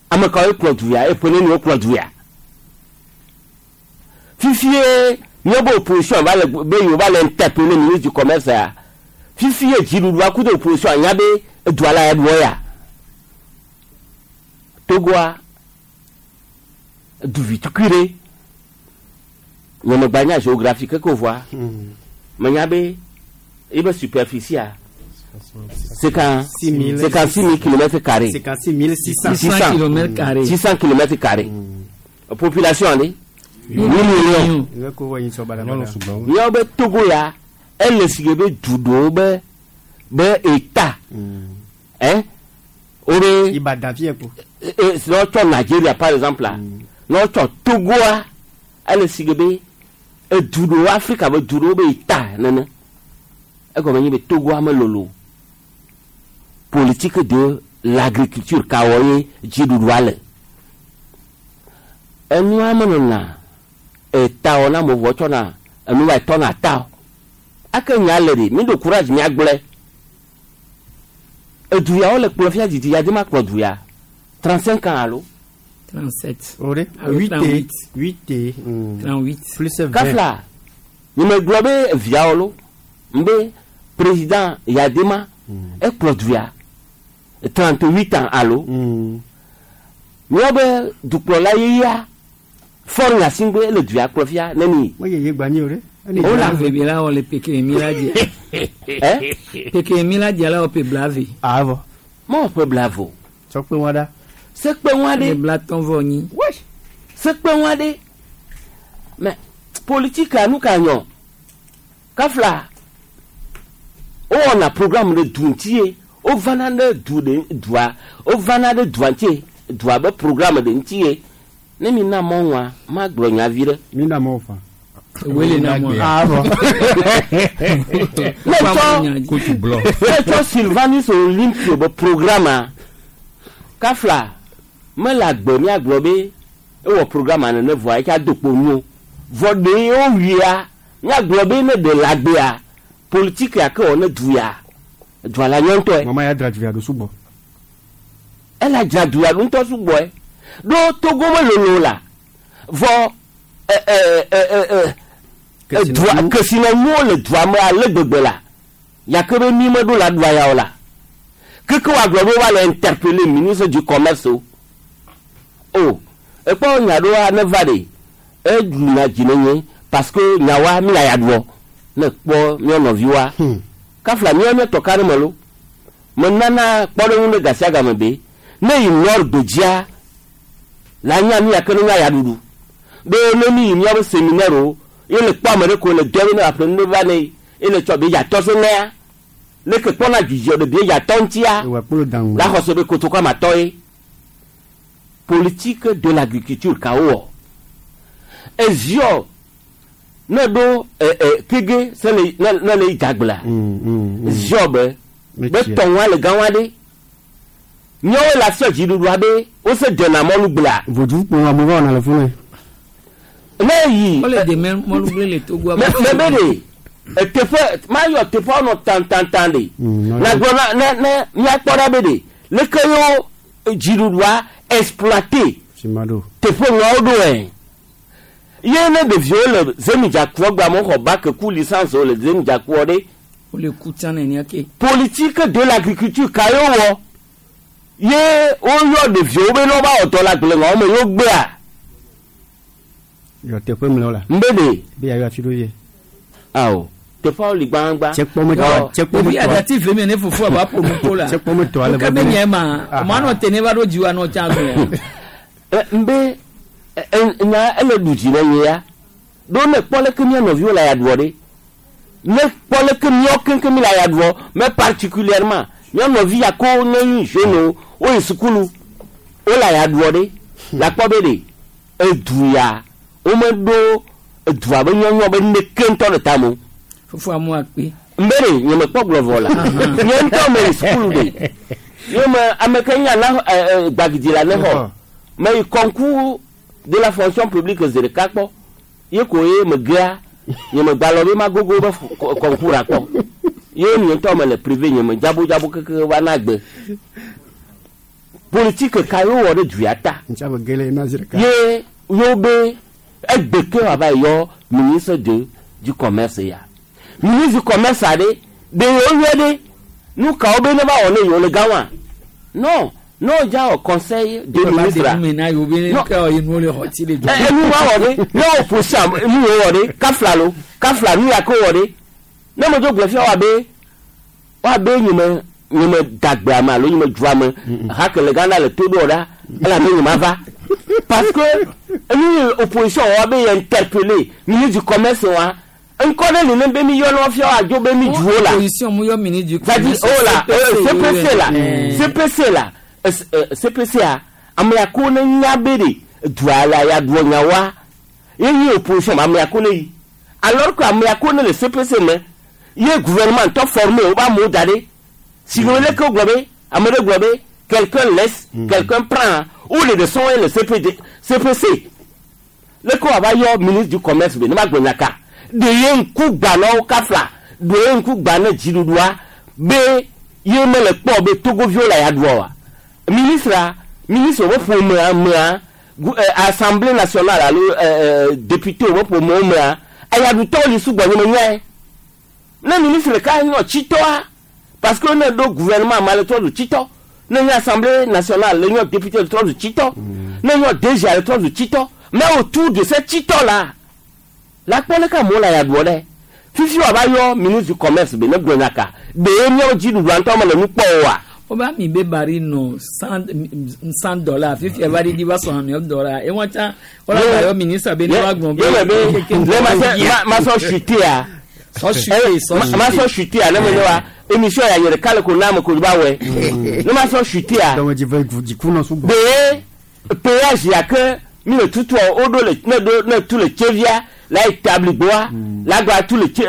ame kawoe kplɔ du ya eƒe neni wokplɔ du ya fifie míabe opposition va le be yewo va le interpeller ministre du commerce ya fifie dziɖuɖua ku ɖe opposition anya be edua la ya ɖuɔ ya Togoa duvi tukui ɖe nyemegba nya géographie keke o voa menya be ebe superficie a 56 000 kilomètres carrés.
56 600.
600 kilomètres carrés.
600 kilomètres carrés. Population ale 8 millions.
Nge ko wɔ yin sɔ badabada.
Míawo be Togo ya ele si ke be du ɖewo be be état hein wobe
Ibadan fiɛ ko.
Ne wotsɔ Nigeria par exemple la ne wotsɔ Togoa ele si ke be edu ɖewo Afrika be du ɖewo be état nene egɔme nye be Togoa melolo politique de l'agriculture ka wɔ ye dziɖuɖua le enua menɔna eta wɔ na mo vɔ tsɔna enu va tɔna ta o ake nya le ɖe mi ɖo courage miagblɔe edu ya wole kplɔ fia didi ya de ma kplɔ du ya 35 ans alo
37.
O de
Alo
huit
38.
huit.
38.
Plus 20.
Kafla nye me gblɔ be viawo lo mbe président Yadema ekplɔ du ya 38 ans alo míawo be dukplɔla yeyea Faure Gnassingbé ele du ya kplɔ fia ne mi.
Mo yeye gba nyi o ɖe.
O la ve bi la wɔ le peke mi la dzi. Peke mi la dzi la wɔ pe blave.
Avɔ.
Mɔ ƒe blavo.
Tsɔkpe wa ɖa.
Sekpe wa ɖe.
Blatɔn vɔ nyi.
Sekpe wa ɖe. Mais politique nu ka nyɔ. Kafla. Wowɔna programme ɖe du ŋuti ye. Wovana ɖe du ɖe dua. Wovana ɖe dua ŋuti dua be programme ɖe ŋuti ye. Ne mi na mɔ ŋua, magblɔ nya vi ɖe.
Mi na mɔ fa.
Wele na mɔ.
Avɔ.
Ne tsɔ ne tsɔ Sylvanus Olympio be programme kafla mele agbe míagblɔ be ewɔ programme nene vɔa etsa do kpo nu vɔ ɖe wowuia míagblɔ be ne ɖe le agbea politique ya ke wɔ ne du ya dua la nyɔ ŋutɔe.
Mama ya dzra du ya ɖo sugbɔ.
Ela dzra du ya ɖo ŋutɔ sugbɔe ɖo Togo me lolo la vɔ dua kesinɔnuwo le dua me ale gbegbe la yake be mi meɖo la ɖua ya o la keke woagblɔ be woale interpeller ministre du commerce o o ekpɔ nya ɖoa ne va ɖe eɖuna dzi ne nye parce que nyawoa mi la ya ɖuɔ ne kpɔ mía nɔviwoa kafla mía míetɔ ka ɖe me lo menana kpɔɖeŋu ɖe gasia game be ne yi nord gbedzia la nya nu yake ne nya ya ɖuɖu be ne mi yi míaƒe séminaire o ye le kpɔ ame ɖe ko le dɔ be ne aƒle nu ɖe va ne ye le tsɔ be yatɔ se nea leke kpɔna dzidzɔ ɖe be yatɔ ŋutia la xɔ se be kotoku amatɔ ye politique de l'agriculture kawo wɔ eziɔ ne ɖo kege se le ne le yi dagblea ziɔ be be tɔnwa le gã wa ɖe míawo le afiɔ dziɖuɖua be wose dena mɔlu gblea.
Vodu kpo amewo wɔna le funu.
Ne yi.
Wole de mɔlugble le Togo.
Mɛ be de eteƒe mayɔ teƒe nɔ tantantan de. Na gblɔ na ne ne míakpɔ ɖa be de leke yewo dziɖuɖua exploité. Teƒe ŋuawo ɖo ɛ. Ye ne ɖeviwo le zemidzakuɔ gba mo xɔ bac ku licence wo le zemidzakuɔ ɖe.
Wole ku tsã nenia ke.
Politique de l'agriculture ka yewo wɔ ye woyɔ ɖeviwo be ne woba wɔ dɔ le agble ŋuawo me yewo gbea.
Yɔ teƒe mlɔ la.
Nbe de.
Be yayɔ afi ɖo ye.
Awo teƒeawo li gbãgbã.
Tsekpɔ
Ɖevi adati ve me ne fofo aba ƒo nu ko la.
Tsekpɔ me tɔ ale
Ke be nye ma, ɔmɔ anɔ te ne va ɖo dziwò anɔ tsa zɔ.
Nbe nya ele ɖu dzi ne nye ya. Ɖo ne kpɔ leke mía nɔviwo le ya ɖuɔ ɖe. Ne kpɔ leke míawo keŋkeŋ mi le ya ɖuɔ mais particulièrement mía nɔvi ya ko ne nyi jeune wo yi sukulu wo le ya ɖuɔ ɖe. La kpɔ be ɖe edu ya womeɖo edua be nyɔnyɔ be neke ŋutɔ le tame o.
Fofo amu akpe.
Nbe ɖe nye me kpɔ gblɔ vɔ la nye ŋutɔ me yi sukulu ɖe nye me ame ke nya na gbagidi la ne xɔ me yi concours de la fonction publique zi ɖeka kpɔ ye ko ye me gea nye me gbalɔ be magogo be concours akpɔ ye nye ŋutɔ me le privé nye me dzabodzabo keke va na gbe politique ka ye wowɔ ɖe du ya ta ye yewo be egbe ke wòava yɔ ministre de du commerce ya ministre du commerce aɖe ɖe yewo yɔ ɖe nu kawo be ne va wɔ ne yewo le gã wa non non dza wɔ conseil de ministre
a. Nu
wa wɔ ɖe ne wò ƒo nu yewo wɔ ɖe kafla lo kafla nu ya ke wɔ ɖe ne me dzo gblɔ fia wa be wa be nye me dagbe ame alo nye me dzu ame hake le Ghana le to ɖo ɖa elabe nye ma va parce que nu opposition wa be yɛ interpellé ministre du commerce wa ŋkɔ ɖe li ne be mi yɔ ne fia wa dzo be mi dzuwo la
opposition mu yɔ ministre du
commerce oh la CPC la CPC la CPC a ame ya ko ne nya be de dua la ya doɔ nya wa ye nyi opposition ame ya ko ne yi alors que ame ya ko ne le CPC me ye gouvernement tɔ formé wo ba amewo da ɖe si wo leke gblɔ be ame ɖe gblɔ be quelqu'un laisse quelqu'un prend ou le de sɔn ye le CPD CPC leke wòava yɔ ministre du commerce be ne ma gblɔ nya ka ɖe ye ŋku gbã na wo kafla ɖe ye ŋku gbã ne dziɖuɖua be ye mele kpɔ be togoviwo le ya ɖua wa ministre ministre wo ƒomea mea assemblée nationale alo député wo ƒomewo mea eyaɖutɔwo li sugbɔ nye me nyae ne ministre ɖeka nyɔ tsitɔa parce que ne ɖo gouvernement ma le trɔ zu tsitɔ ne nye assemblée nationale le nyɔ député le trɔ zu tsitɔ ne nyɔ DG le trɔ zu tsitɔ Mais autour de cette titɔ la, la kpɔ leke amewo le aya ɖuɔ ɖe. Fifi woava yɔ ministre du commerce be ne gblɔ nya ka, ɖee míawo dziɖuɖua ŋutɔ mele nu kpɔ oa?
Wobe ami be bari nɔ 100 $, fifia va ɖiɖi va sɔ hame dollar. Ewa tsã wola gba yɔ ministre be ne wa gblɔ be
Ye me be ne ma se ma sɔ chutea.
Sɔ chuté, sɔ chuté.
Ma sɔ chutea ne me ne wa émission ya nye ɖeka le ko na ame ko va wɔe. Ne ma sɔ chutea.
Dɔmedzi ve dziku nɔ sugbɔ.
Ɖee péage ya ke mi le tutua woɖo le ne ɖo ne tu le Tsevia la yi Tabligboa la gba tu le tse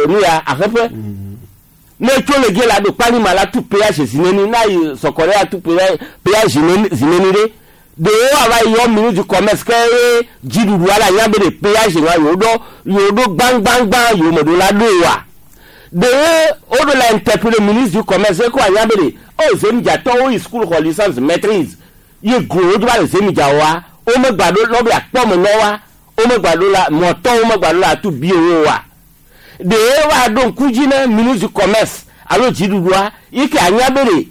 nu ya aheƒe. Ne tso le ge la ɖo Kpanima la tu péage zineni na yi Sɔkɔɖe la tu péage zineni ɖe. Ɖewo ava yɔ ministre du commerce ke ye dziɖuɖua la nya be ɖe péage wa yewo ɖo yewo ɖo gbãgbãgbã yewo me ɖo la ɖo wa. Ɖewo woɖo la interpeller ministre du commerce ko anya be ɖe o zemidzatɔwo yi school xɔ licence maîtrise ye glo wo va le zemidza wa womegba ɖo lɔ be akpɔ me nɔ wa womegba ɖo la mɔtɔ womegba ɖo la tu bi wo wa. Ɖewo va ɖo ŋku dzi ne ministre du commerce alo dziɖuɖua yi ke anya be ɖe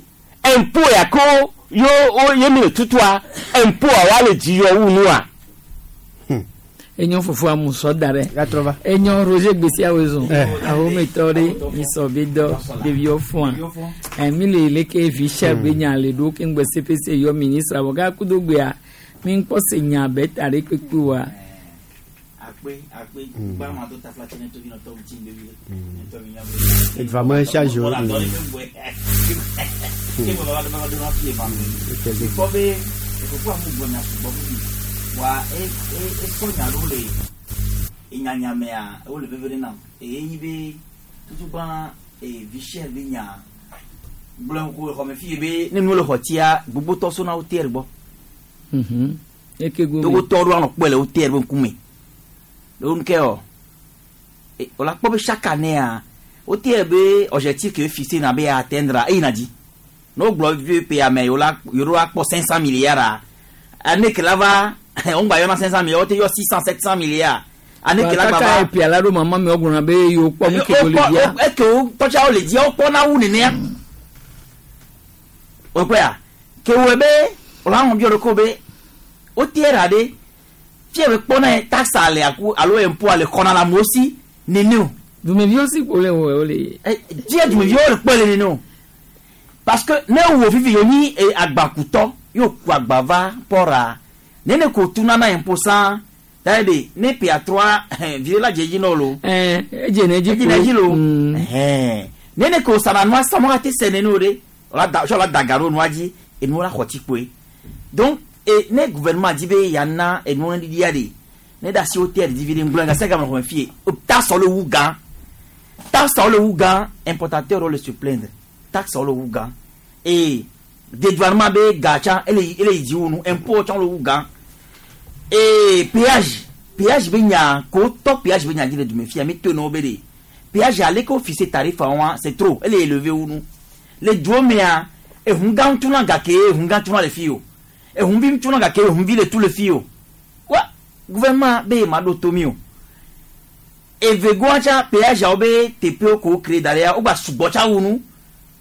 impôt ya ko yo wo ye mi le tutua impôt wa le dzi yɔ wu nua.
Enyo fofo amusɔ da ɖe. Enyo Roger Gbesi awo zɔn. Ahometɔ ɖe misɔ be dɔ ɖeviwo fɔa. Mi le leke vi sia be nya le ɖo ke ŋgbe CPC yɔ ministre awɔ gake kudo gbea mi ŋkpɔ se nya be ta ɖe kpekpe wa.
Akpe akpe gba ma do tafla tse ne tovi nɔtɔ ŋuti ŋgbe vi ne tɔ mi nya.
Edua me charge o.
Wala dɔ ne bɛ ke bɔ ba ba do na fi ma kpɔ be ekoko amu gbɔ nya sugbɔ bibi wa e e esɔ nya ɖewo le enyanyamea wo le veve ɖe nam eye nyi be tutugba e vi cher be nya gblɔ ko xɔme fi be ne nuwo le xɔ tia gbogbotɔ sona wo terre gbɔ.
Eke go.
Togotɔ ɖo anɔ kpɔe le wo terre be ŋkume ɖo nuke ɔ wòle akpɔ be chaque année wo terre be objectif ke fixé na be atteindre eyina dzi ne wogblɔ VP ame yewo la yewo akpɔ 500 milliards année ke la va wongba yɔna 500 milliards, wote yɔ 600 700 milliards année ke la gba
Kaka
va.
epia la ɖo mama mi wogblɔna be yewo kpɔ nu ke wo le dzia.
Eke wo tɔtsawo le dzia wokpɔna wu nenea wokpɔa ke wɔe be wòle ahɔn biɔ ɖoko be wote ra ɖe fie be kpɔna ye taxe le aku alo impôt le xɔna le amewo si nene o.
Dumeviwo si ko le wɔ wo le.
Fie dumeviwo le kpɔe le nene o parce que ne wo fifi yo nyi agbakutɔ yóò ku agba va pɔra nene ko tuna na impôt san taye de ne pia trois vie la dze dzi nɔ lo.
Edze ne dzi.
Edze ne dzi lo. Nene ko sana nua sa mɔ te sɛ nene o de wòla da sɔ la da ga ɖo nua dzi enuwo la xɔ tsi kpoe. Donc e ne gouvernement di be yana enuwo ɖiɖia de ne da si wo te ɖi vi ɖe ŋgblɔ gase game xɔme fie taxe le wu gã, taxe le wu gã, importateur le se plaindre, taxe le wu gã et dédouanement be ga tsã ele ele yi dzi wu nu, impôt tsã le wu gã et péage be nya ko tɔ péage be nya dzi le dume fia mi to nɔ be de péage ale ko fixé tarif wa c'est trop, ele élevé wu nu le duwo mea ehun gã tuna gake ehun gã tuna le fi o ehun vi tuna gake ehun vi le tu le fi o wa gouvernement be ma ɖo tomi o evegoa tsa péage awo be teƒewo ko créé da ɖe ya wogba sugbɔ tsa wu nu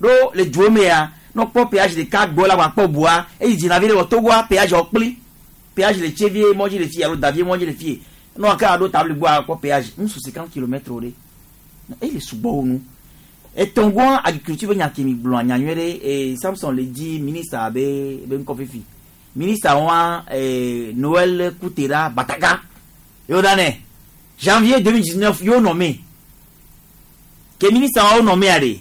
ɖo le duwo mea ne kpɔ péage ɖeka gbɔ la gbɔ bua eyi dzina vi ɖe wɔ Togoa péage awo kpli péage le Tsevie mɔdzi le fi alo Davie mɔdzi le fi ne wòake aɖo tabli gbɔa kpɔ péage nusu 50 kilomètres o ɖe eye le sugbɔ wu nu etɔngɔa agriculture be nya ke mi gblɔ nya nyuie ɖe e Samson le dzi ministre be ŋkɔ fifi ministre wa Noël Koutera Bataka yóò da nɛ janvier 2019 yóò nommé ke ministre wa nommé a de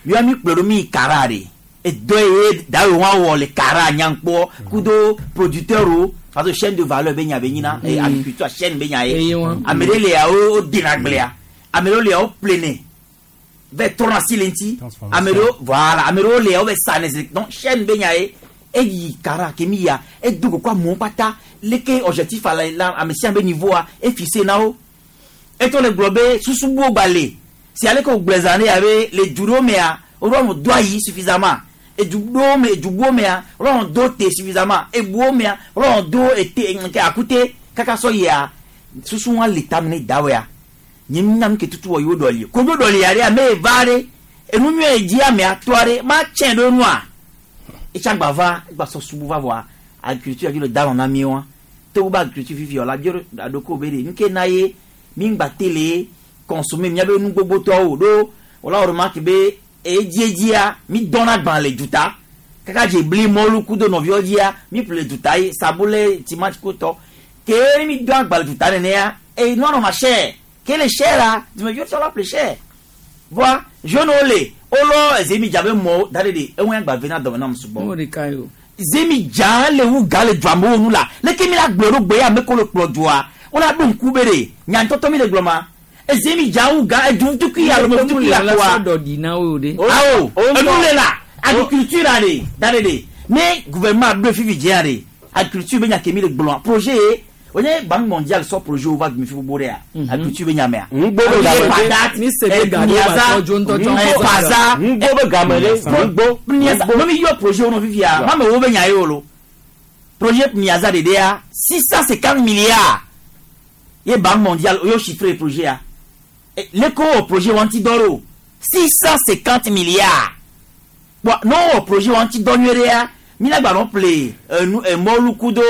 yóò mi kplɔ ɖo mi Kara de edɔ ye dawe wa wɔ le Kara nyankpɔ kudo producteur o parce que chaîne de valeur be nya be nyina agriculture chaîne be nya ye ame ɖe lia wo dena gblea ame ɖewo lia wo plenɛ vɛ trɔna si le ŋuti ame ɖewo voilà ame ɖewo lia wo bɛ sa ne donc chaîne be nya ye eyi Kara ke mi ya edo koko amewo kpata leke objectif ala la ame sia ame be niveau a efixé na wo etɔ le gblɔ be susubuwo gba le si ale ke wògblɔ zã ɖe ya be le du ɖewo mea woɖo ame do ayi suffisamment edu ɖewo me edubuwo mea woɖo ame do te suffisamment ebuwo mea woɖo ame do ete nke akute kaka sɔ yia susu wa le tame ne dawɔa nye nya nu ke tutu wɔ yewo ɖɔli kodzo ɖɔli ya ɖe ame eva ɖe enu nyuie dzi amea tɔa ɖe ma tsɛ ɖo nua etsagba va egba sɔ subu va vɔa agriculture dzi le da nɔ na mi wa. Togo be agriculture fifi la bio aɖoko be ɖe nuke na ye mi ŋgba te le consommer miabe nu gbogbotɔwo ɖo wòla wɔ remarque be edziedzia mi dɔna gbã le duta kaka dze bli mɔlu kudo nɔviwo dzia mi ƒle le duta ye sabule timati kutɔ ke mi dɔn agba le duta nenea eye nua nɔna cher ke le cher la dumeviwo tsɔ la ƒle cher voa jeunewo le wolɔ eze mi dza be mɔwo da ɖe ɖe eŋu agba ve na dɔme nam sugbɔ
Mo ɖeka yo.
zemi dza le wu ga le dua mewo nu la leke mi la gblɔ ɖo gbe ya ame ko le kplɔ dua wola ɖo ŋku be ɖe nyantɔtɔ mi le gblɔ ma ezemi dza wu ga edu tukui alo me tukui la
la
koa
sɔ dɔ di na wo de.
awo enu le la agriculture la de da de de ne gouvernement ɖo fifi dzea de agriculture be nya ke mi le gblɔa projet ye wonye banque mondiale sɔ projet wo va dumi fi gbogbo ɖea agriculture be nya mea.
Ŋugbo be game ɖe.
Mi se be ga ɖo ba tɔ dzo ŋutɔ tsɔ
Eh, paza
Ŋugbo be game ɖe. Ŋugbo.
Niaza ne mi yɔ projet wo nɔ fifia ma me wo be nya ye o lo projet Niaza ɖeɖea 650 milliards ye banque mondiale o y'o chiffré projet ya Eh, leko wɔ projet wa ŋuti dɔ ɖo 650 milliards bɔn n'o wɔ projet wa ŋuti dɔ nyuie ɖea mi la gba nɔ ƒle enu emɔlu kudo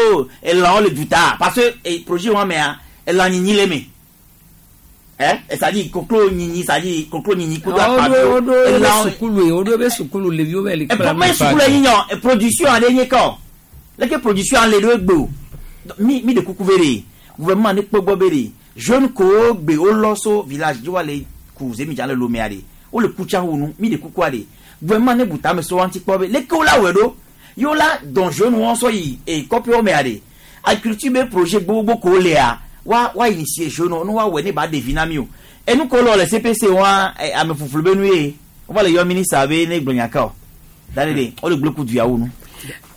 elãwo le duta parce que eh, projet wa mea elã nyinyi le me ɛ c'est à dire koklo nyinyi c'est à dire koklo nyinyi kudo
Wo ɖo wo ɖo be
elãwo
sukulu ye wo ɖo be sukulu ɖeviwo be le kpla
me sukulu yi nyɔ production aɖe nye kɔ leke production ale ɖo egbe o mi mi de kuku be de gouvernement ne kpɔ gbɔ be de jeune kowo gbe wolɔ so village dzi wa le ku zemidza le lomea de wole kutsa wo nu mi de kukua de gouvernement ne bu tame so wa ŋuti kpɔ be leke wola wɔe ɖo ye wola dɔn jeune wɔn sɔ yi e kɔƒewo mea de agriculture be projet gbogbo kowo lea wa wa initier jeune wo ne wa wɔe ne ba ɖevi na mi o enu ko lɔ le CPC wa ame fuflu be nu ye wova le yɔ ministre be ne gblɔ nya ka o da de de wole gblẽ ku duyawo nu.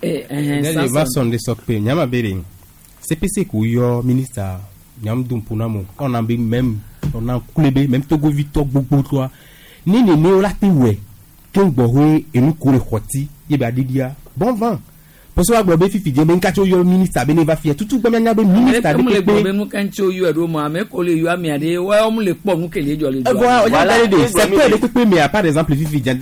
Ne va sɔn de sɔkpe nyama be de CPC ko yɔ ministre nyam dun puna mo ɔna be même ɔna kule be même togovi tɔ gbogbo tɔa ne nene wo la te wɛ ke ŋgbɔ hoe enu ko le xɔti ye ba didia bon vent parce que wa gblɔ be fifi dze be ŋkatsi wo yɔ ministre be ne va fia tutu gbɛ mianya be ministre
Ame
de
le gblɔ be
kpekpe
nu ka ŋuti woyɔe ɖo mɔ ame ko le yɔ amea ɖe woawo mu le kpɔ nu ke le dzɔ le dua.
Voilà, voilà. De secteur de kpekpe mea par exemple fifi dza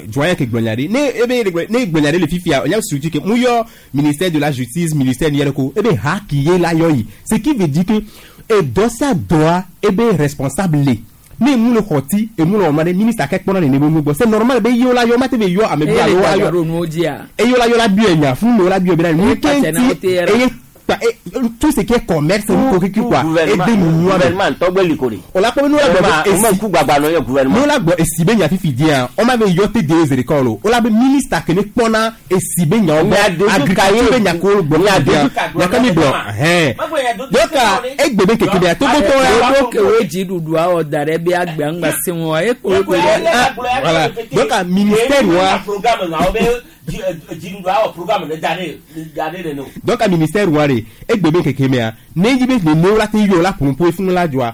doyen ke gblɔ nya ɖe ne ebe le gblɔ ne gblɔ nya ɖe le fifia nya structure ke mu yɔ ministère de la justice ministère ni yɛrɛ ko ebe ha ki ye la yɔ yi ce qui veut dire que edɔ sia dɔa ebe responsable le ne mu le xɔti emu le wɔma ɖe ministre akɛ kpɔna nene be nu gbɔ c'est normal be yewo la yɔ ma te be yɔ ame bi
Eye
alo
le
ayɔ
dada ɖo nuwo dzia.
eye wo la yɔ la biɔ nya fún mi wo la biɔ bena nu
Eye kpatsa na wo te
ke
yɛrɛ.
eye kpa e tout ce qui est commerce nu ko kiki quoi ede nu nua me
Gouvernement tɔgbe li ko de.
o la kpɔ be nu la gbɔ be
O ma ku gbagba nɔ yɔ gouvernement.
nu la gbɔ esi be nya fifi dia o ma be yɔ te de eze ɖeka o o la be ministre ke ne kpɔna esi be nyawo
Nya
gbɔ
dodu ka
agriculture
ye.
be nya ko gbɔ
Nya
fifi dia
dodu ka gblɔ
nya ka mi gblɔ hɛn donc egbe be keke bea togotɔ ya
Woɖo ke wo dziɖuɖua wɔ da ɖe be agbea ŋgba se ŋu wa ye ko wo
voilà donc ministère wa
programme na wo be dziɖuɖua wɔ programme ɖe da ɖe da ɖe nene o.
donc a ministère wa de egbe be keke mea ne yi be nene wo la te yɔ la ƒoƒo funu la dzɔa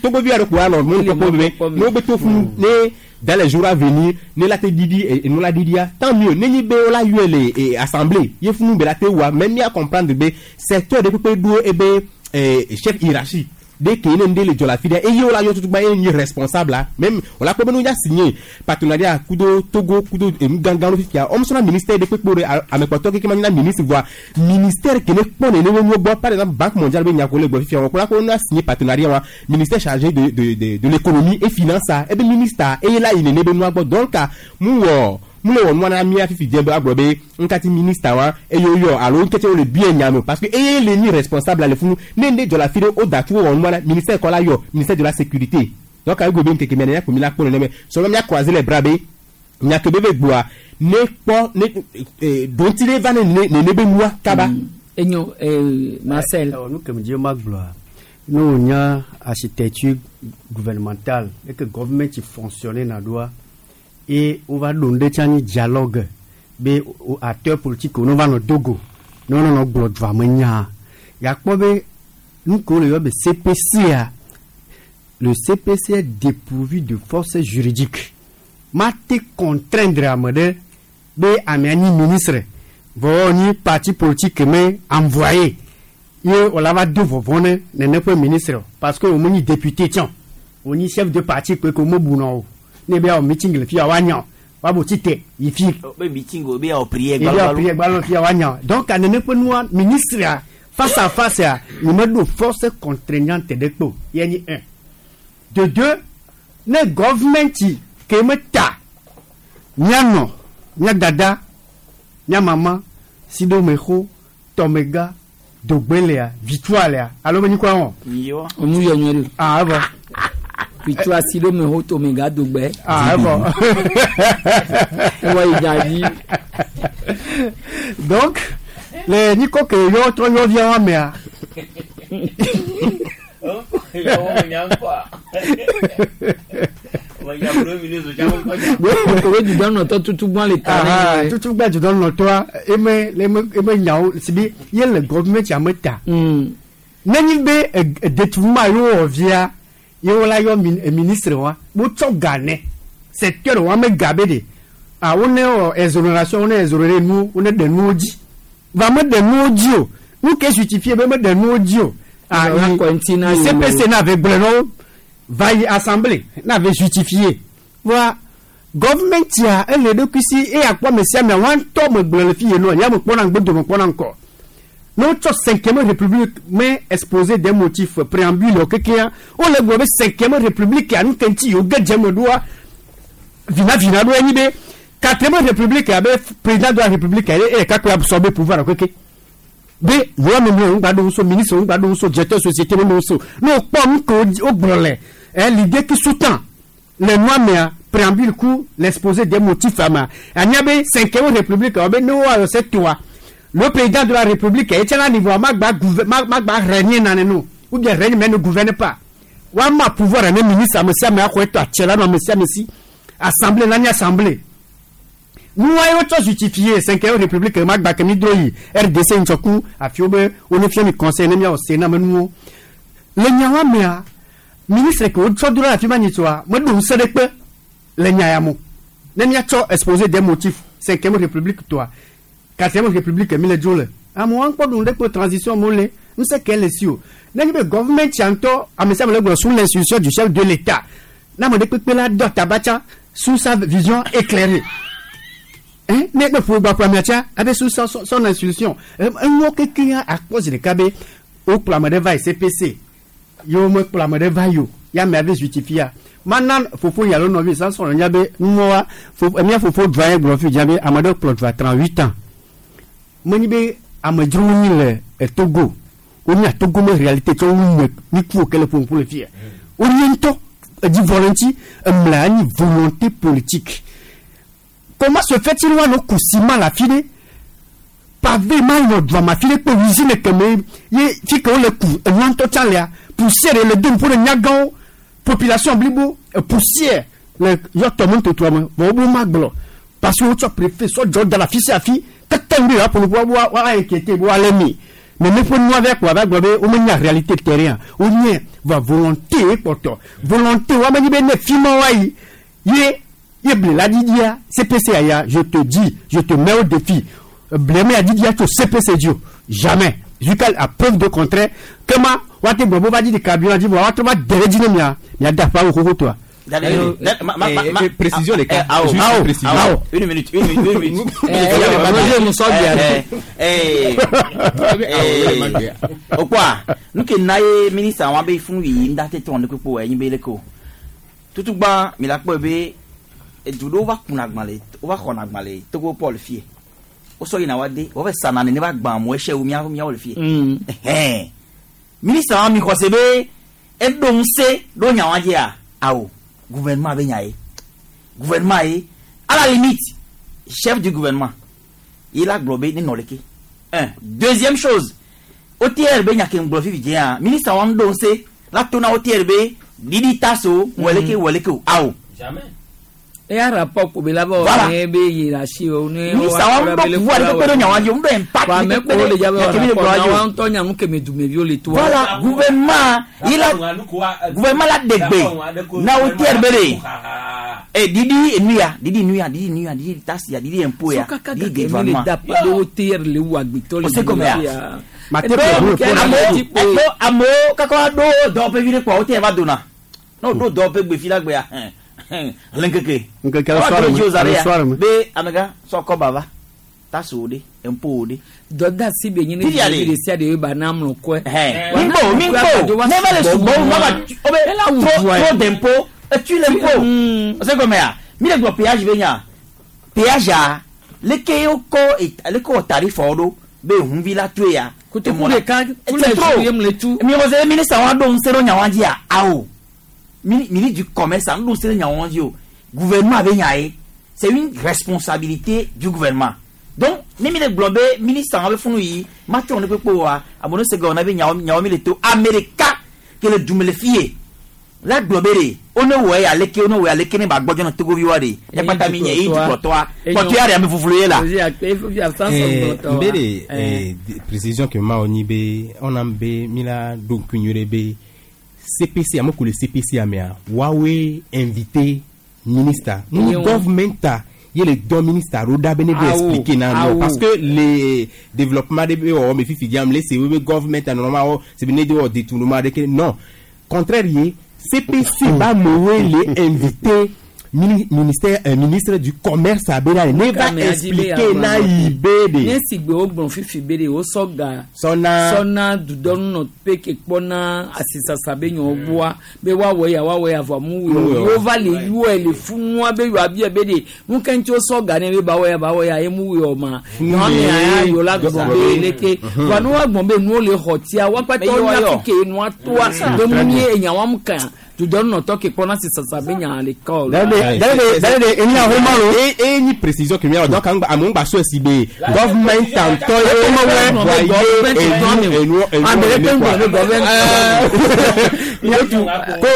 togovi aɖe ko alɔ mo kpɔkpɔ be ne wo be to funu ne dans les jours à venir ne la te didi enu la didia tant mieux ne nyi be wo la yɔe le assemblée ye funu be la te wa mais mia comprendre be secteur de kpekpe ɖo ebe chef hiérarchie de ke ne ŋde le dzɔ le afi ɖe eye wo la yɔ tutugba ye nyi responsable la même wo la kpɔ be ne wo signé partenariat kudo Togo kudo enu gãgã ɖo fifia wɔm sɔna ministère de kpekpe ɖe amekpɔtɔ keke ma nyina ministre voa ministère ke ne kpɔ nene wo nuwo gbɔ par exemple banque mondiale be nya ko le gbɔ fifia wɔn ko la ko na signé partenariat wa ministère chargé de de de de l'économie et finance a ebe ministre eye la yi nene be nua gbɔ donc mu wɔ mu le wɔ nua na mía fifi dze be agblɔ be ŋkati ministre wa eye woyɔ alo ŋketi wo le bia nya me parce que eye le nyi responsable le funu ne ŋde dzɔ le afi ɖe wo da tu wɔ nua na ministère kɔ la yɔ ministère de la sécurité donc ayi go be ŋkeke mia nenya ko mi la kpɔ nene sɔlɔ mía croiser les bras be nya ke be be gboa ne kpɔ ne donti ɖe va ne nene be nua kaba.
Enyo Marcel.
Nu ke me dzi ma gblɔa ne wònya architecture gouvernementale eke government fonctionne na ɖoa eye wova ɖo nu ɖe tsã nyi dialogue be acteur politique wo ne va nɔ dogo ne wonɔ gblɔ dua me nya yakpɔ be nu ke wole yɔ be CPC a le CPC est dépourvu de force juridique mate contraindre ame ɖe be amea nyi ministre vɔ nyi parti politique me envoyé ye wòla va do vɔvɔ ne nene ƒe ministre o parce que wòme nyi député tsã wònyi chef de parti kpe ke wòme buna o ne be awɔ meeting le fia woanya woabo tite yi fi
be meeting o be awɔ prière
yi be awɔ prière gbalɔ fia woanya donc nene ƒe nua ministre Face à face ya, nye me ɖo force contraignante ɖe kpe o. Ye nyi un. De deux, ne government ke me ta mía nɔ, mía dada, mía mama, si ɖo me xo, tɔmega, dogbe lea, victoire lea, alo me nyi kura wɔn.
Onu yɔ nyuie ɖe.
Ah, evɔ.
Victoire si ɖo me xo tɔmega dogbe.
Ah, evɔ.
Ewɔ yi dza dzi.
Donc, le nyikɔ ke yɔ trɔ yɔ via wa mea.
Kowe dudɔnɔtɔ tutu gbɔn le ta
ne. Tutu gbɛ dudɔnɔtɔa eme eme eme nyawo si be ye le gɔvimɛnti ame ta. Nenyi be détournement ye wowɔ via ye wola yɔ ministre wa wotsɔ ga nɛ secteur wa me ga be de ah wone wɔ exonération wone exonéré nuwo wone ɖe nuwo dzi va me ɖe nuwo dzi o nu ke justifié be me ɖe nuwo dzi o ah yi CPC na ve gblɔe na wo va yi assemblée na ve justifié voa government ya ele eɖokui si eye akpɔ ame sia amea woa ŋutɔ me gblɔe le fi ye nɔ ya me kpɔna ŋgbedome kpɔna ŋkɔ ne wotsɔ cinquième république me exposé des motifs préambule kekea wole gblɔ be cinquième république ya nu ke ŋuti yewo ge dze eme ɖoa vinavina ɖo enyi be quatrième république ya be président de la république ya ye ɖeka koe sɔ be pouvoir keke be yewoa me mlɔ ŋgba ɖo so ministre ŋgba ɖo so directeur société me ɖo so ne wokpɔ nu ke wogblɔ le l'idée qui sous-tend le nua mea préambule ku l'exposé des motifs ama anya be cinquième république wa be ne woayɔ se toa le président de la république ye tsɛ la niveau magba magba régner nane no ou bien règne mais ne gouverne pas wa ma pouvoir ne ministre ame sia ame axɔ etɔ atsɛ la nɔ ame sia ame si assemblée nani assemblée nua ye wotsɔ justifier cinquième république magba ke mi dro yi RDC ŋtsɔku afiwo be wo ne fia mi conseil ne miawɔ sénat me nuwo le nyawa mea ministre ke wotsɔ do ɖe afi ma nyitsoa meɖo ŋusẽ ɖe kpe le nya ya mo ne miatsɔ exposé des motifs cinquième république toa quatrième république mi le dzo le amewo ŋkpɔ ɖu ɖe kpe transition mo le ŋusẽ ke le si o ne nye be government sia ŋutɔ ame sia ame le gblɔ sous l'institution du chef de l'état ne ame ɖe kpekpe la dɔ tabatsa sous sa vision éclairée ne ne ƒo gba ƒo amea tsa abe sous son institution enuwo kekeŋ akpɔ zi ɖeka be wokplɔ ame ɖe va yi CPC yewo mekplɔ ame ɖe va yi o ya amea ve justifia mana fofo yi alo nɔvi Samson nya be nuwɔwa mía fofo dua ye gblɔ fi dza be ame ɖe kplɔ dua 38 ans menyi be amedzrowo nyi le Togo wonya Togo me réalité tsɔ wu me mi ku ke le ƒoƒo le fia wonye ŋutɔ edzi vɔ le ŋuti emlɛ anyi volonté politique comment se fait-il woanɔ ku ciment le afi ɖe pavé ma yɔ dua ma fi ɖe kpe usine keme ye fi ke wole ku enua ŋutɔ tsã lea poussière le do ŋku ɖe nyagãwo population blibo poussière le yɔ tɔme totoa me vɔ wobe ma gblɔ parce que wotsɔ préfet sɔ dzɔ da le afi sia afi tete ŋu ɖe yewoaƒo nu wa wa inquiété be woalé mi mais ne ƒe nua vɛ kpɔ ava gblɔ be womenya réalité terrain wonye va volonté ye kpɔtɔ volonté wa menyi be ne fi ma wa yi ye ye ble la didia CPC aya je te dis je te mets au défi ble me adidia tso CPC dzi o jamais jusqu'à la preuve de contraire kema woate gblɔ be wova dzi ɖeka bi dzi vɔ woatrɔ va de ɖe dzi ne mia mia da ƒe awu xoxo toa.
Précision les cas. Juste précision.
Une minute, une minute, une minute. Okwa, nu ke na ye ministre wa be fún yi nda te ton de kpo e yin be le ko. Tutugba mi la kpo be edu do va kun agbale, o va xɔ agbale Togo Paul fie. O so yin na wa de, o va sana ne va gban mo e se o mi a mi o le fie. Ministre wa mi xɔ se be e do nse do nya wa je a. Awo. Gouvernement be nya ye. Gouvernement ye, à la limite, chef du gouvernement, il a globé ni noleke. Un. Deuxième chose, OTRB nya ke nglo fifi je ministre wa ndo se la tona OTRB didi taso weleke weleke awo.
Jamais.
E a rapport ko be la ba ne be hiérarchie o ne
ministre wa ndo pouvoir de pe nya wa je ndo impact
wa me ko le ja ba rapport na wa ntɔ nya nu ke me dumeviwo le to.
Voilà, gouvernement il a gouvernement la degbe na OTRB de. Eh didi nuya didi nuya didi nuya didi taxe ya didi impôt ya didi développement.
De OTR le wu agbetɔ le.
O se comme ya. Amo kako do dɔ pe vi de kpɔ OTR va donna. No do dɔ pe gbe fi la gbe ya. Lenkeke.
Nkeke le soir me.
Be amega sɔ kɔ bava. Taxe wo ɖe, impôt wo ɖe.
Dɔdeasi be nyi ne
Fifia
ɖevi
ɖe.
ɖe sia ɖe ye ba na amlɔ kɔe.
Mi kpo, mi kpo, ne va le sugbɔ wu, ma va o be
Ela wu
trop
dua ye.
trop d'impôt, et tu l'impôt. O se gɔmea, mi le gblɔ péage be nya. Péage a, leke wokɔ leke wɔ tarif wo ɖo be hunvi la toe ya.
Kotoku ɖeka, tous
C'est
les
trop.
jours ye mle tu.
Mi wɔ se ministre wa ɖo ŋusẽ ɖo nya wa dzia, awo. Ministre du commerce a ɖo ŋusẽ ɖe nya wa dzi o. Gouvernement be nya ye. C'est une responsabilité du gouvernement. Donc, ne mi le gblɔ be ministre wa be funu yi, ma tsɔ ne kpekpe wa, abone se gɔmɛ na be nyawo nyawo mi le to Amerika ke le dume le fie. La gblɔ be ɖe, wo ne wɔe aleke, wo ne wɔe aleke ne ba gbɔdzɔ na Togovi wa ɖe. Ne kpata mi nye eyi dukplɔtɔa, kpɔtɔa ɖe ame fuflu ye la.
Mbe de précision ke ma wɔ nyi be ɔna be mi la ɖo ŋku nyuie ɖe be CPC ame ko le CPC amea woawoe invité ministre
Ye
nu
wo.
government ta ye le dɔn ministre ɖo ɖa be ne be
Awo,
expliquer na no
awo.
parce que le développement ɖe be wɔwɔ me fifi diam le se wo be government ta nɔnɔma wɔ se be ne de wɔ détournement ɖeke non contraire ye CPC ba amewoe le invité ministère ministre du commerce abe ɖa ne va
Kame adi be
expliquer na yi be de.
Ne si gbe wogblɔ fifi be ɖe wosɔ ga.
Sɔna.
Sɔna dudɔnunɔ pe ke kpɔna asisasa be nyɔwo gbɔa be woawɔ ya woawɔ ya vɔ mu
Mu
wɔ
wɔ.
yewo va le yɔe le funua be yewoa bia be ɖe nu ke ŋuti wosɔ ga ne be ba wɔ ya ba wɔ ya ye mu wɔ ma. Nyɔnu ya ya yewo la gblɔ be leke vɔa ne woagblɔ be nuwo le xɔ tia woakpata
Mais yewoa
wonya
yɔ.
fi ke nua toa be mu nye enyawoa mu kan dudɔnunɔtɔ ke kpɔna asisasa be nya le kɔ o la.
E e ni précision que mi donc an amu gba so si be government tantɔ ye wa ye enu enu enu enu quoi.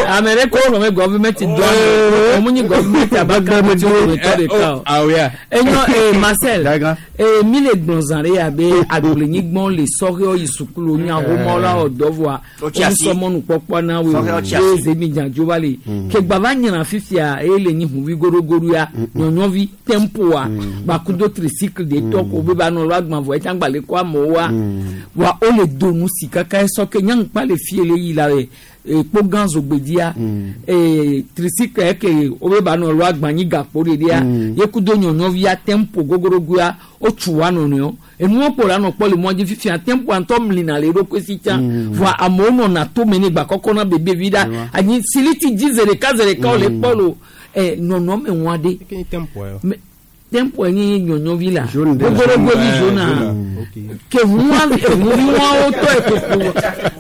Ame ɖe ko gblɔ be gɔvimɛnti dɔ ame o mu nyi gɔvimɛnti abaka ti o tɔ de ka o.
Ah oui.
Enyɔ ee Marcel ee mi le gblɔ zã ɖe ya be agblenyigbɔn le sɔhɛwo yi sukulu nyahomɔ la wɔ dɔ vɔa
Wotsi asi.
wosɔmɔnukpɔkpɔ na wo
Sɔhɛwo tsi
ye
asi.
zemidzadzoba le ke gbava nyina fifia eye le nyi huvi goɖogoɖo ya nyɔnyɔvi tempoa gbakudo tricycle de tɔ ko be ba nɔ lɔ agbã vɔ etsã gbalẽ kɔ amewoa wa wole do nu si kaka esɔ ke nyaŋkpa le fie le yi la le ekpo gã zogbedia ee tricycle eke wobe ba nɔ lɔ agbã nyi gakpo ɖeɖia yekudo nyɔnyɔvia tempo gogorogoa wotsu wa nɔnɔewo enuwo kpo la nɔ kpɔ le mɔ dzi fifia tempoa ŋutɔ mlina le eɖokui si tsã vɔa amewo nɔna tome ne gba kɔkɔ na bebevi ɖa anyi siliti dzi ze ɖeka ze ɖeka wole kpɔ lo ɛ nɔnɔme ŋua ɖe Me- tempo nye nyɔnyɔvi la gogorogovi zona ke ŋua eŋuviwawo tɔ ekuku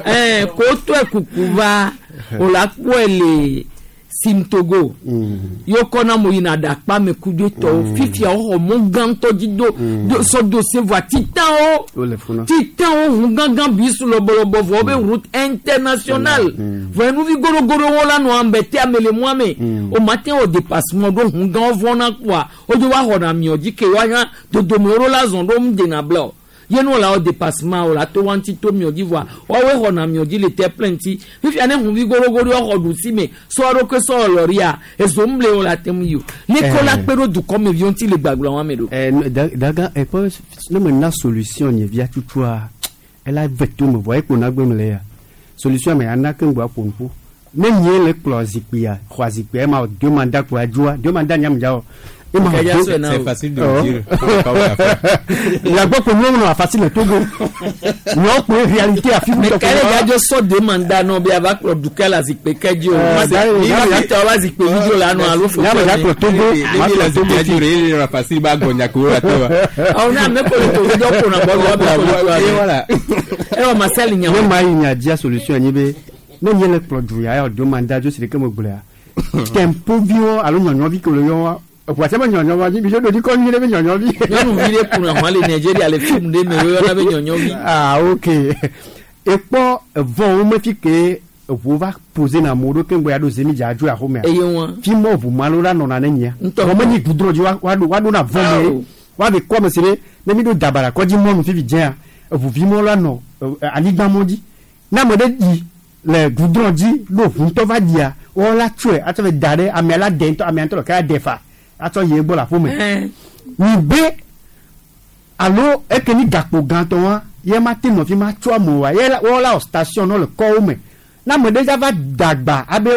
ɛɛ ko tɔ ekuku va o la kpɔe le simtogo yóò kɔ na mo yina ɖakpa me kudo tɔwo fifia woxɔ mɔ gãtɔ dzi do do sɔ do se voa titanwo
Wole funa.
titanwo ʋu gãgã bisu lɔbɔlɔbɔ vɔ wobe route internationale vɔ enuvi goɖogoɖowo la nɔ ame te ame le mɔa me o ma te wɔ dépassement ɖo ʋu gãwo vɔna kpoa wodzo wa xɔna miɔ dzi ke woanya dodomewo ɖo la zɔn ɖo mu dena bla o ye nu la wɔ dépassement o la to wa ŋuti to miɔ dzi vɔa woawoe xɔna miɔ dzi le te plein ŋuti fifia ne ʋuvi goɖogoɖo xɔ ɖusi me sɔ ɖokui sɔ lɔria ezo ŋu le wo la te ŋu yi o ne ko la kpe ɖo dukɔmeviwo ŋuti le gbagblɔ wa me ɖo.
Daga ekpɔ ne me na solution nye via tutua ela ve to me vɔ ekpo na gbe me le ya solution me ana ke ŋgbɔ aƒo nuƒo ne nye le kplɔ zikpuia xɔ zikpuia ema deux mandat kplɔ adzoa deux mandat nyam dza o. Ema
Kaya
deux-
sɔe na o.
C'est facile de le dire. Faut pas la faire.
La gbɔ ko nyɔnu a facile le Togo nyɔ kpo réalité afi
Mais kale gadzo sɔ deux mandats nɔ be ava kplɔ dukɛ la zikpui ke dzi o.
Eh,
Tɔ va zikpui vi dzo la nɔ alo fo.
Nyame ya kplɔ Togo ma
Ni la
kplɔ Togo
zikpui
fi.
dzi re le facile ba gbɔnya ko la tɔ.
Awo ne ame ko le Togo dɔ kona bɔ lɔ be ko le
Et voilà.
Ewa Marcel nya.
Ne ma yi nya dzia solution nyi be ne nye le kplɔ du ya yɔ deux mandats dzo si ɖeke me gblɔa tempoviwo alo nyɔnyɔvi ke le yɔ wa eʋua tse be nyɔnyɔ wa dzi mi tso ɖo dzi kɔ nyuie ɖe be nyɔnyɔvi.
Nyɔnuvi ɖe kuna hɔn le Nigeria le film ɖe me woyɔna be nyɔnyɔvi.
Ah ok ekpɔ evɔwo me fi ke eʋuwo va posé na amewo ɖo keŋ gbɔ ya ɖo zemi dza adzo axomea.
Eye wa.
Fi mɔ ʋu ma lo la nɔna ne nyia.
Ŋutɔ.
Vɔ menyi gudro dzi wa wa ɖo wa ɖo na vɔ me
Awo.
wa be kɔ ame si ɖe ne mi ɖo dabara kɔdzi mɔnu fifi dzea eʋuvi mɔ la nɔ anyigba mɔ dzi ne ame ɖe yi le gudro dzi ɖo ʋu ŋutɔ va dzia wɔwɔ la tsɔe atsɔ va da ɖe amea la de ŋutɔ amea ŋutɔ ɖeka la de fa atsɔ yi egbɔ le aƒeme
Ɛn.
nyi be alo eke ni gakpo gãtɔ wa ye ma te nɔ fi ma tsɔ amewo wa ye la wɔwɔ la wɔ station nɔ le kɔwo me Na ame ɖe va dagba abe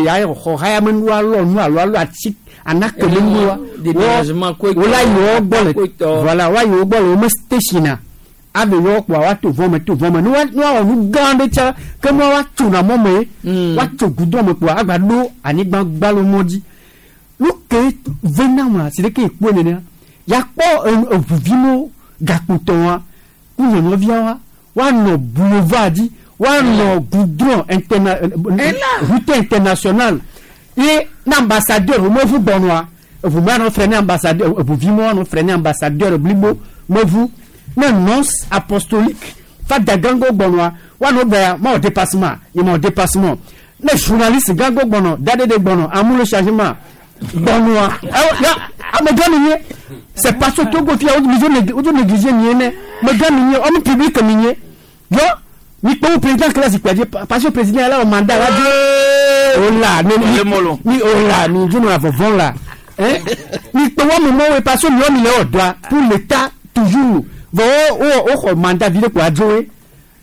ya xɔ haya me nua lɔ nu alo alo ati anake me nua.
Déménagement koe
Wola yi wo gbɔ le
koe tɔ.
voilà wa yi wo gbɔ le wo me station a abe yɔ kpɔa wa to vɔ me to vɔ me ne wa ne wa wɔ nu gã ɖe tsa ke ne wa tso na mɔ me wa tso goudron me kpɔa agba ɖo anyigba gbalo mɔ dzi nu ke ve na ma si ɖeke ekpɔe nenea yakpɔ eʋuviwo gakpotɔwoa ku nyɔnuviawoa woanɔ boulevard dzi woanɔ goudron interna route internationale ye ne ambassadeur mevu gbɔnɔa eʋu ma nɔ fre ne ambassadeur eʋuvi ma nɔ fre ne ambassadeur blibo mevu ne nonce apostolique fada gãgo gbɔnɔa woanɔ bɛ ma wɔ dépassement ye ma wɔ dépassement ne journaliste gãgo gbɔnɔ daɖeɖe gbɔnɔ amu le changement gbɔnɔa ɛwɔ ya amegã mi nye c'est parce que Togo fia wodzo négligé mi ye ne megã mi nye homme public mi nye yɔ mi kpɔ wo président kele zikpui dzi parce que président la wɔ mandat la dzi o la ne mi mi o la mi dzo nɔ avɔvɔ la hein mi kpɔ wo amewo parce que miwo mi le wɔ dɔa pour l'état toujours vɔ wo wo wo xɔ mandat vi ɖe ko adzo ye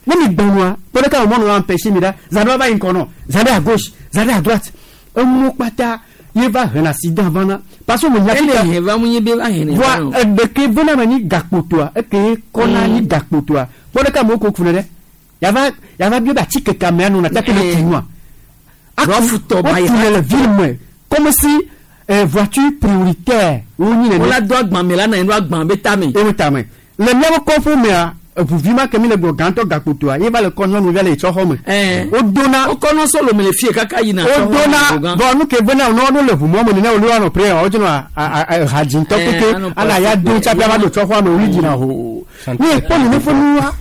ne mi gbɔnua kpɔ ɖeka wo mɔnu wa empêcher mi ɖa zã ɖe va yi ŋkɔ nɔ zã ɖe à gauche zã ɖe à droite enuwo kpata ye va hena accident vana parce que mo nya
Ele hɛn va mu nye be va hɛn ne
voa
va o.
eɖeke vena me nyi gakpotoa eke kɔna nyi gakpotoa kpɔ ɖeka amewo ko ku ne ɖe yava yava bio be atike ka amea nona take ne tu nua
Rɔfutɔ ba yi
wotu ne le ville me comme si voiture prioritaire wonyi nene.
Wola do agban me la na enu agban be tame.
Ewe tame le miawo kɔƒe mea eʋuvi ma ke mi le gbɔ gãtɔ gakpotoa ye va le kɔ nyɔnuvia le etsɔ xɔ me. Wodona
wokɔ sɔlɔ me le fie kaka yina.
wodona bɔn nu ke vena ne wo le ʋumɔ me nene wòle woanɔ pre wodzo nɔ hadzintɔ keke
anɔ
ala ya do tsaƒe ava do tsɔ xɔa me wòli dzina hoo ne ekpɔ nene ƒe nua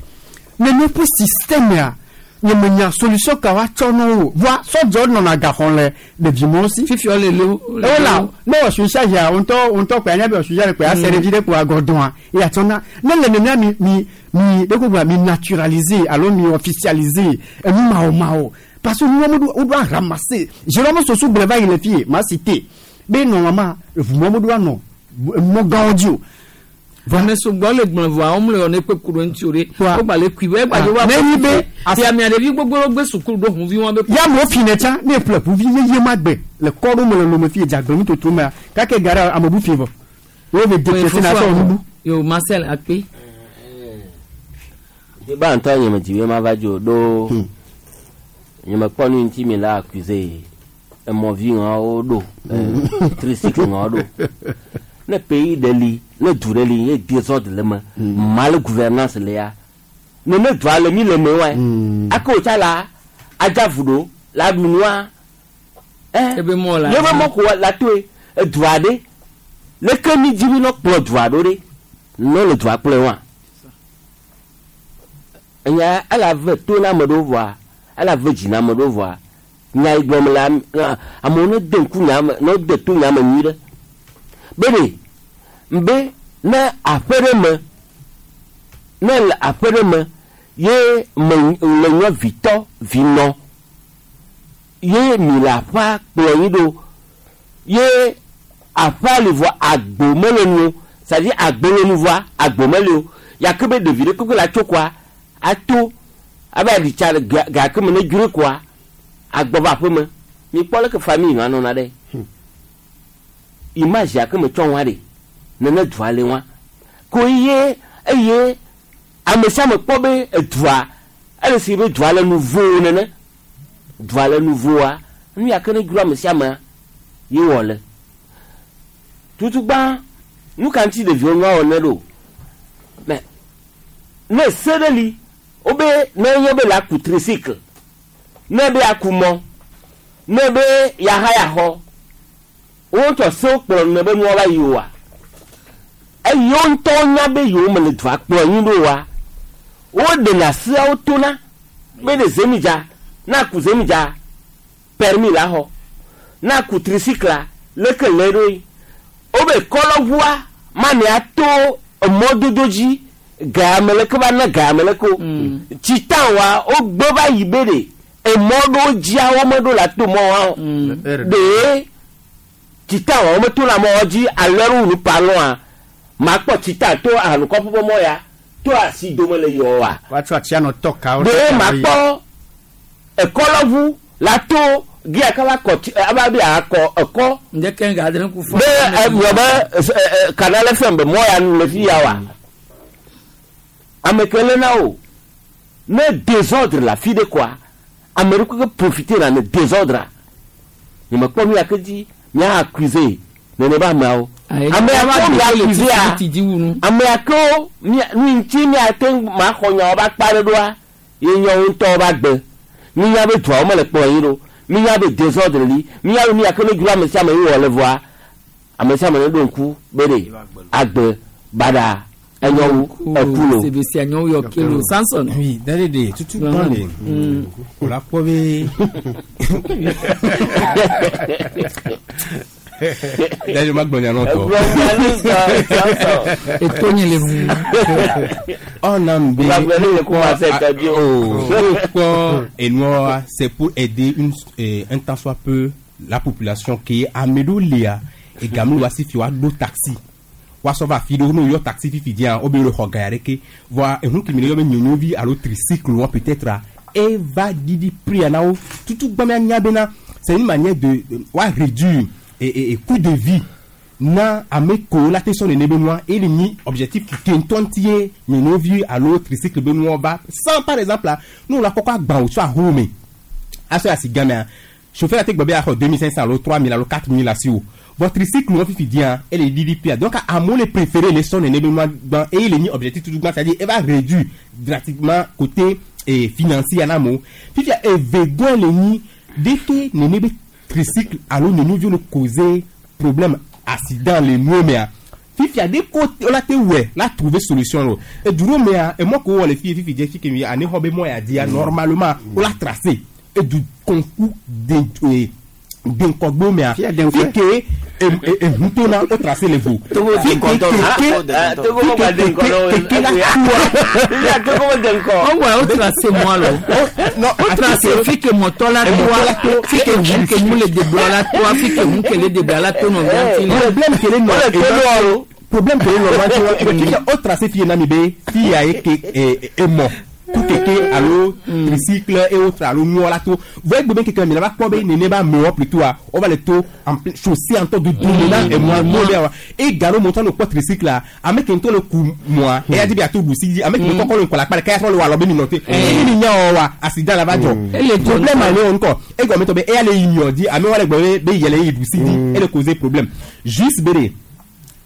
nene ƒe système ya nye me nya solution ka woatsɔ na wo voa sɔdzɔ nɔna gaxɔ le ɖevimɔwo si.
Fifi le le
ewola ne wɔ suicide ya ŋutɔ ŋutɔ kpe anya be wɔ suicide kpe ase ɖevi ɖe kpe agɔdɔa eya tsɔ na ne le nenea mi mi mi ɖe ko gblɔ mi naturaliser alo mi officialiser enu mawo mawo parce que nuwo ɖo woɖo aramasser Jérôme Sossou gblɔ va yi le fie ma cité be normalement eʋumɔ mo ɖo anɔ mɔ gãwo dzi o.
Ame sugbɔ le gblɔ vɔa wɔm le wɔ ne kpe ku ɖo ŋuti o ɖe. Wogba le kui be egba dzo va.
Ne nyi be-
Ti amea ɖevi gbogbo ɖewo gbe sukulu ɖo hunvi wɔn be.
Ya amewo fi ne tsã ne ƒle ʋuvi yeye ma gbe le kɔ ɖo me le lome fie dzagbe nutoto mea kake ga ɖe ame bu fi vɔ wo ve dépièce na sɔ nubu.
Yo Marcel Akpe.
Deba ŋutɔ nye me dzi be mava dzo ɖo nye me kpɔ nu ŋuti mi la accusé emɔvi ŋawo ɖo tricycle ŋawo ɖo ne pays ɖe li ne du ɖe li ye désordre le me mal gouvernance le ya ne ne dua le mi le me wa ake wòtsa la adzavu ɖo la ɖu nua
Ebe mɔ la.
ye be mɔ ko la toe edua ɖe leke mi dzi mi nɔ kplɔ dua ɖo ɖe ne le dua kplɔe wa enya ele ave to na ame ɖewo vɔa ele ave dzi na ame ɖewo vɔa nya yi gblɔm le am- amewo ne de ŋku nya me ne de to nya me nyui ɖe be ɖe mbe ne aƒe ɖe me ne le aƒe ɖe me ye me le nye vitɔ vinɔ ye mi le aƒea kplɔ yi ɖo ye aƒea li vɔ agbo mele nu o c'est-à-dire agbo le nu vɔa agbo mele o yake be ɖevi ɖe kpekpe la tso koa ato abe aɖitsa le gake me ne dzro koa agbɔ va aƒe me mi kpɔ leke famille ma nɔna ɖe image yake me tsɔ wa ɖe nene dua le wa ko ye eye ame sia ame kpɔ be edua ele si be dua le nuvo nene dua le nuvoa nu yake ne dzro ame sia amea ye wɔ le tutugbã nu ka ŋuti ɖeviwo nua wɔ ne ɖo mɛ ne se ɖe li wobe ne nye be le aku tricycle ne be aku mɔ ne be yaha yaxɔ wotsɔ sewo kplɔ ne be nua va yi oa eye wo ŋutɔ nya be yewo me le dua kplɔ anyi ɖo oa woɖena seawo tona be ɖe zemidza na aku zemidza permis la xɔ na aku tricycle leke le ɖo yi wobe kɔlɔʋua mani ato emɔdodo dzi game leke va ne game leke o tsita wa wogbe va yi be ɖe emɔ ɖewo dzia wo meɖo la to mɔ wa o ɖe tsita wa wo meto la mɔ wa dzi alɔ ɖe wunu palɔa makpɔ tsita to ahanukɔƒe ƒe mɔ ya to asi dome le yɔ wa
woatsɔ atsia nɔ tɔ kawo.
ɖe makpɔ Ekɔlɔʋu la to gia kaba kɔ tsi aba bi akɔ ekɔ.
Ndeke nga adre ku fɔ.
Be ewɔ be Canal FM be mɔ ya nu le fi ya wa. Ame ke le na o. Ne désordre la fi de quoi. Ame ɖe ke profiter na ne désordre. Nye me kpɔ nu ya ke dzi mía accuser nene be ameawo. Ame ya ke mía accuser a. Ame ya ke mía nu ŋuti mía te ŋu ma xɔ nyawo be akpa ɖe ɖoa ye nye wo ŋutɔwo be agbe. Mínya be duawo mele kplɔ yi ɖo. Mínya be désordre li. Mínya be nu ya ke ne dzro ame sia ame ye wɔ le vɔa ame sia ame ne ɖo ŋku be ɖe agbe baɖa enyo wu eku lo.
Sebesi anyo yɔ kelo Samson.
Oui, d'aller de tutu gbɔn le. O la kpɔ be. D'aller ma gbɔn nya tɔ.
Eto nye le ŋu.
On a be.
Ma gbɔn ne ko ma se tɔ di o.
Kpɔ enua c'est pour aider une un tant soit peu la population qui ame ɖewo lia egame wa si fi wa ɖo taxi. Wa sɔ va afi ɖewo ne woyɔ taxi fifi dzia wo be le xɔ ga ya ɖeke voa ehu kemi le yɔ be nyonyovi alo tricycle wa peut-être a eva ɖiɖi prix na wo tutu gbã mia bena c'est une manière de wa réduire et coût de vie na ame ko la te sɔ nene be nua ele nyi objectif ke ŋutɔ ŋuti ye nyonyovi alo tricycle be nua va sans par exemple la ne la kɔkɔ agba wòtsɔ ahowo me asɔ asi gamea chauffeur ate gbɔ be axɔ 2500 alo 3000 alo 4000 asi o. Votre tricycle nous fifi dia elle est DDP donc à mon les préféré les sons n'est pas et il est mis objectif tout c'est-à-dire elle va réduire drastiquement côté et financier en amont fifi et vegan les ni dès que n'est tricycle alors nous nous causer problème accident les mots mais fifi a des côtés on a te ouais la trouver solution là et du mais et moi ko les filles fifi dia fi que ani hobe moi a dit normalement on l'a tracé et du concours de denkɔgbo mea fi ke ehuto na o tracé le vo.
Togo keke
la tuwa. O wa o tracé moi lo. O tracé fi ke mɔtɔ la tuwa fi ke hun ke mu le debla la tuwa fi ke hun ke le debla la to nɔ
vian Problème ke le nɔ problème ke le nɔ o tracé fi ye na mi be fi ya ye ke emɔ. Keke alo tricycle et autres alo nyɔ la to voyez gbogbo keke mi la va kpɔ be nene ba mewɔ plutôt a on va le to en plein chaussée en temps de domena et moi mo be wa et garo montant le kpɔ tricycle la ame ke ŋutɔ le ku moa eya di be ato ɖusi dzi ame ke kɔkɔ le ŋkɔ la kpa ɖeka ya trɔ le wɔ alɔ be mi nɔ te eye mi nya wɔ wa accident la va dzɔ problème ale wo ŋkɔ egɔme tɔ be eya le yi miɔ di ame wa le gbɔ be yɛlɛ yi ɖusi dzi ele causer problème juste be de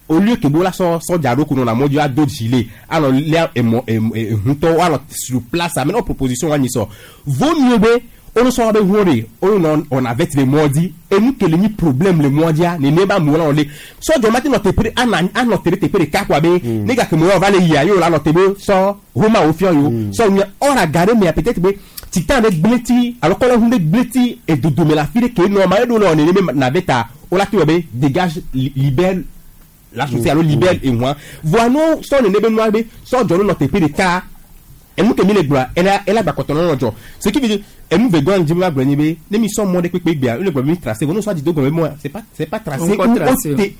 au lieu que bola sort sort dialo qu'on a mondial d'autres gilets alors là et alors sur place maintenant proposition on y sort vaut mieux be on sort be wori on avait les mordis et nous que les problème le mondial ne ne ba moula on les sort de matin notre prix an notre te prix ka quoi be ne ga que moi va les ya yo la notre be sort Roma au fion yo sort on a garé mais peut-être be titan avec bleti alors qu'on a bleti et de de la fille que normal on est même naveta on la tu be dégage libère la chaussée alors libère et moi voilà son ne be noir be son jono notre pays de cas et nous que mi le gba elle a ba kotono no jo ce qui veut dire et nous vegan di ma gba ni be ne mi son monde pepe gba le gba mi tracé nous soit dit donc moi c'est pas tracé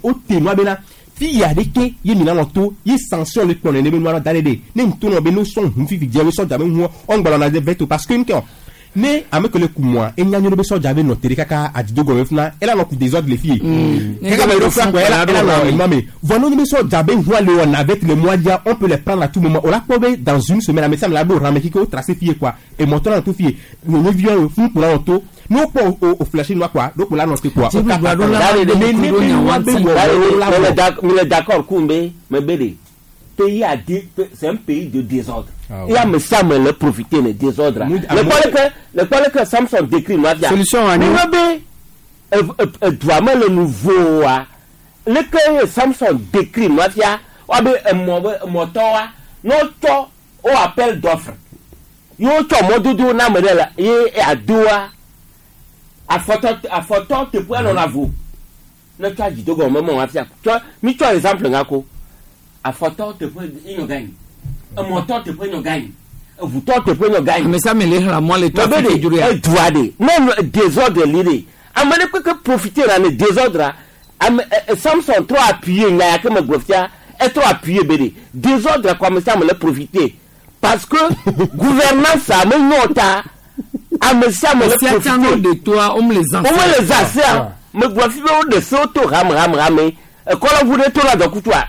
au te noir be là fi ya de ke ye mi na no to ye sanction le kpon ne be noir d'aller de ne ntono be no son hun fi fi je so jabe hu on gba na de veto parce que nke mais avec le coup moi et nya nyobe so jabe no tere kaka adido go funa elle a no coup désordre les filles kaka ba ro quoi elle a no mais vono nyobe so jabe huwa le on avec le mois dia on peut les prendre à tout moment on l'a probé dans une semaine mais ça me la do ramé kiko tracé fille quoi et montant tout fille nous vieux fou pour la auto nous pas au flasher noir quoi donc la notre quoi
mais d'accord Koumbe mais belé pays a dit c'est un pays de désordre. Il y a mais ça me le profiter le désordre. Le problème que Samson décrit moi bien.
Solution à nous.
Doit le nouveau le que Samson décrit moi bien wa be moto wa no to o appel d'offre. Yo to mododo na me la ye adoa a photo te pour on avoue. Ne tu as dit dogo maman wa fia. Tu mi tu exemple ngako. A photo te prend une gagne. Un montant te prend une gagne. Un bouton te prend une gagne.
Mais ça me les la moi les toi
fait durer. Même désordre l'idée. Amene que profiter dans le désordre. Samson trop appuyé n'a que me gofia est trop appuyé bédé. Désordre comme ça me le profiter parce que gouvernance ça me nota Ame sia ame le
Sia
profiter.
tsã no de toa, wome le zã
Wome le zã sea. Megblɔ fi be woɖe sewo to hame hame hame. Ekɔlɔʋu ɖe to na dɔkutua.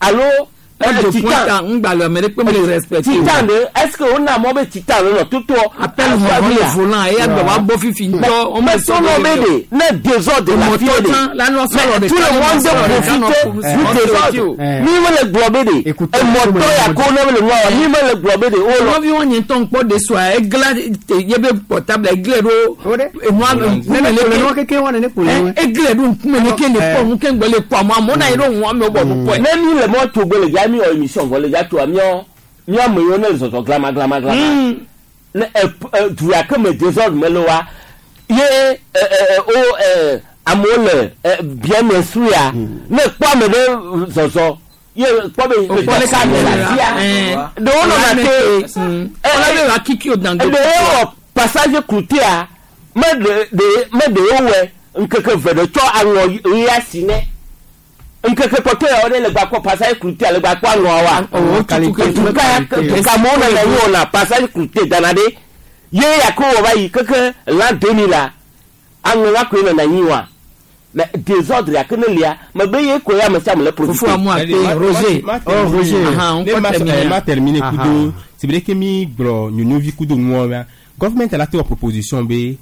Alo
Edzo
titan.
pointa ŋgbalẽ ame ɖe kpe me le respecter o.
Titan ɖe est-ce que wona mɔ be titan ɖe nɔ totoɔ?
Appel hɔhɔ le volant eya gbe wa bɔ fifi ŋutɔ. Wome
Mais
sɔ
sɔlɔ
le
be de ne désordre la fi
Mɔtɔ
de.
tsã, la nɔ sɔlɔ
Mais
ɖeka
tout le
nɔ
monde
sɔlɔ ɖeka nɔ
profite
ƒo-
du
nɔ
désordre.
sɔlɔ o.
Mi mele gblɔ be de emɔtɔ ya ko ne mele nua wa mi mele gblɔ be de o lɔ.
Nɔvi wɔn nye ŋutɔ ŋkpɔ de soa egla te ye be portable egle ɖo enua
Ne ne kple nua keke wa ne ne kple nua.
Egle ɖo ŋkume ne ke le kpɔ nu ke ŋgbɛ le kpɔ amewo amewo na yi ɖo ŋu amewo bɔ nu kpɔe.
Ne mi le mɔ tso gbe le dza mi wɔ émission vɔ le dza tsoa miɔ miɔ ame yiwo ne le zɔzɔ glama glama glama. Ne ɛ ɛ du ya ke me désordre me le wa ye ɛ ɛ o ɛ amewo le ɛ bien instruit ya ne kpɔ ame ɖe zɔzɔ ye kpɔ be
O kpɔ
ɖeka
ɖeka
le
le
afi ya ɖewo nɔna te
Ɔlɔ be wa kiki o dan do.
ɖewo wɔ passage clouté me ɖe ɖe me ɖewo wɔ ŋkeke ve ɖe tsɔ aŋɔ ɣi asi nɛ ŋkeke kpɔtɔ yawo ɖe le gba kpɔ passage clouté le gba kpɔ aŋɔ wa tuka amewo nɔ anyi wɔna passage clouté dana ɖe ye yako wɔ va yi keke l'an 2000 la aŋɔ wa koe nɔna anyi wa mais désordre yake ne lia megbe ye koe ame sia ame le profiter.
Roger.
Oh, Roger.
Aha, on
Ne
peut
ma
terminer.
ma terminer
Aha.
kudo c'est vrai que mi gblɔ nyɔnuvi kudo nuwo mea government la te wɔ proposition be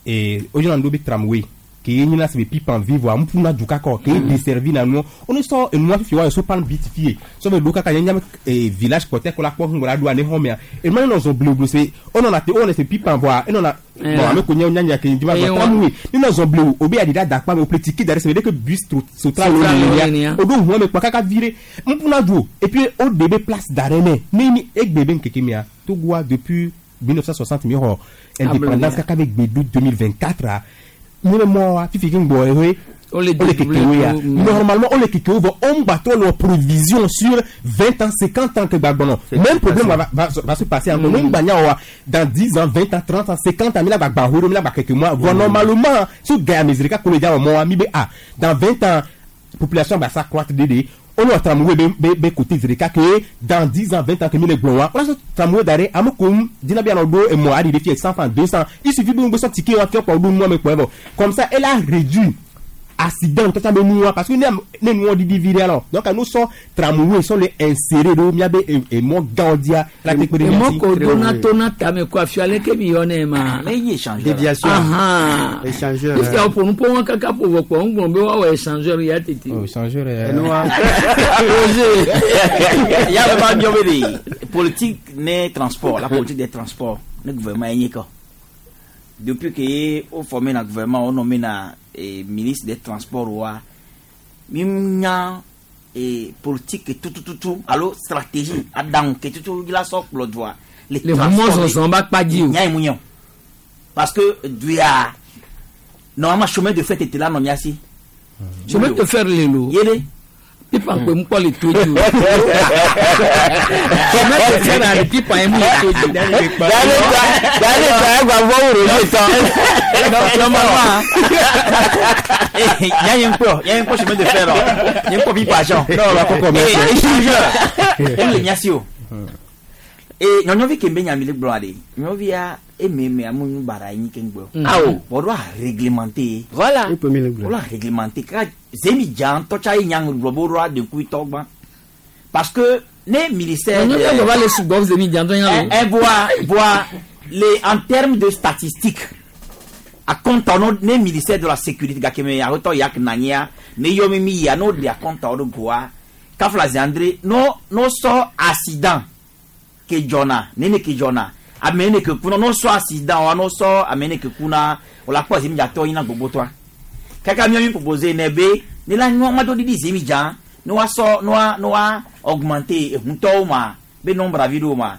eh, wodzona nu ɖo be tramway ke ye nyina se be pipan vi voa ŋuƒuna du kakɔ ke ye desservi na nuwo wone sɔ enua fifi wa yɔ so pan beat fie sɔ be ɖo kaka nye nyame eh, village kpɔtɛ ko la kpɔ ŋgɔ la ɖoa ne xɔ mea enua ne nɔ zɔn blewublewu se wonɔna te wowɔna se pipan voa enɔna
Eh.
bon ame ko nye nyanya ke dzi va
Eh,
gblɔ
wa-
tramway ne nɔ zɔn blewu obe aɖi ɖe adakpa me ople tike da ɖe se be ɖe ke bus sotra lo
Sotra lo
nenia
nenia.
oɖo ʋua me kpɔ kaka vi ɖe ŋuƒuna du o et puis woɖe be place da ɖe nɛ ne mi egbe be ŋkeke mea Togoa depuis 1960 mi xɔ indépendance kaka be gbedu 2024 a mi be mɔ wa fifi ke ŋgbɔ ehe
Ole
ole kekewo ya normalement ole kekewo vɔ o ŋgba trɔ le provision sur 20 ans 50 ans ke gba gbɔnɔ même problème va, va, va se passer encore ne ŋgba nya wa dans 10 ans 20 ans 30 ans 50 ans mi la gba gba ho ɖo mi la gba keke mɔa vɔ normalement so gaya mesirika ko le dza wɔ mɔ wa mi be ah dans 20 ans population va s'accroître dédé on a tramway be be be côté zirika que dans 10 ans 20 ans que mi le gbɔn wa on a tramway da ɖe ame ko dina bi anɔ ɖo emɔ aɖi ɖe fie 100 francs 200 il suffit be ŋgbe sɔ ticket wa fiɔ kpɔ ɖo nua me kpɔ evɔ comme ça elle a réduit accident tɔtɔ be nua parce que ne ne nua didi vi ɖe alɔ donc nous sɔ tramway sɔ le insérer ɖo miabe emɔ gãwo dia la te kpe ɖe mia
Emɔ
si.
ko dona tona tame ko afi ale ke mi yɔ ne ma.
Ne yi échangeur.
Déviation.
Ahan.
Échangeur.
Fifia wo ƒonu ƒo wɔn kaka ƒo vɔ kpɔ ŋgblɔ be woawɔ échangeur ya tete.
Oh, échangeur.
Enua.
Roger. Ya be ma biɔ be de politique ne transport la politique des transports ne gouvernement ye nye kɔ. Depuis que wo formé na gouvernement wo nommé na eh, ministre des transports wa mi nya eh, politique tutututu alo stratégie aɖaŋu ke tutu la sɔ kplɔ dua.
Le ʋumɔ zɔzɔ ba kpa dzi o.
Nya ye mu nye o. Parce que duya normalement chemin de fer tete la nɔ mía si.
Chemin de fer le lo.
Yele.
Pipa kpe ŋkpɔ le to dzi o. Chemin de fer ale pipa ye mu le to dzi.
Dale ta egba vɔ wo Roger tɔ.
Normalement. Nya ye ŋkpɔ nya ye ŋkpɔ chemin de fer lɔ. Nye ŋkpɔ pipa sɔn.
Non, la kɔkɔ mɛ.
Échangeur. Emu le mía si o. E nyɔnyɔvi ke be nyami le gblɔa de nyɔnuvia eme me amu nu bara yi ke ŋgbɔ.
Awo.
Bɔn do a réglementer.
Voilà.
Ekpe mi le gblɔ.
Wòle réglementer kaka zemi dza ŋutɔ tsa ye nya gblɔ be woɖo aɖekui tɔ gbã parce que ne ministère.
Nyɔnuvia gbɔ va le sugbɔ zemi dza ŋutɔ nya lo.
Eh, voa voa les en termes de statistiques akɔnta no ne ministère de la sécurité gake me awotɔ yak nanyia ne yɔ mi mi yia n'o de akɔnta wo ɖo goa kafla ziandre no no sɔ accident ke dzɔna nene ke dzɔna ame ne ke kuna no sɔ accident wa no sɔ ame ne ke kuna wòle akpɔ zemi dzatɔ yina gbogbotɔa kaka miɔ mi propose ne be ne la nyɔ ma do didi zemi dza ne wa sɔ ne wa ne wa augmenter ehuntɔwo ma be nombre avi ɖo ma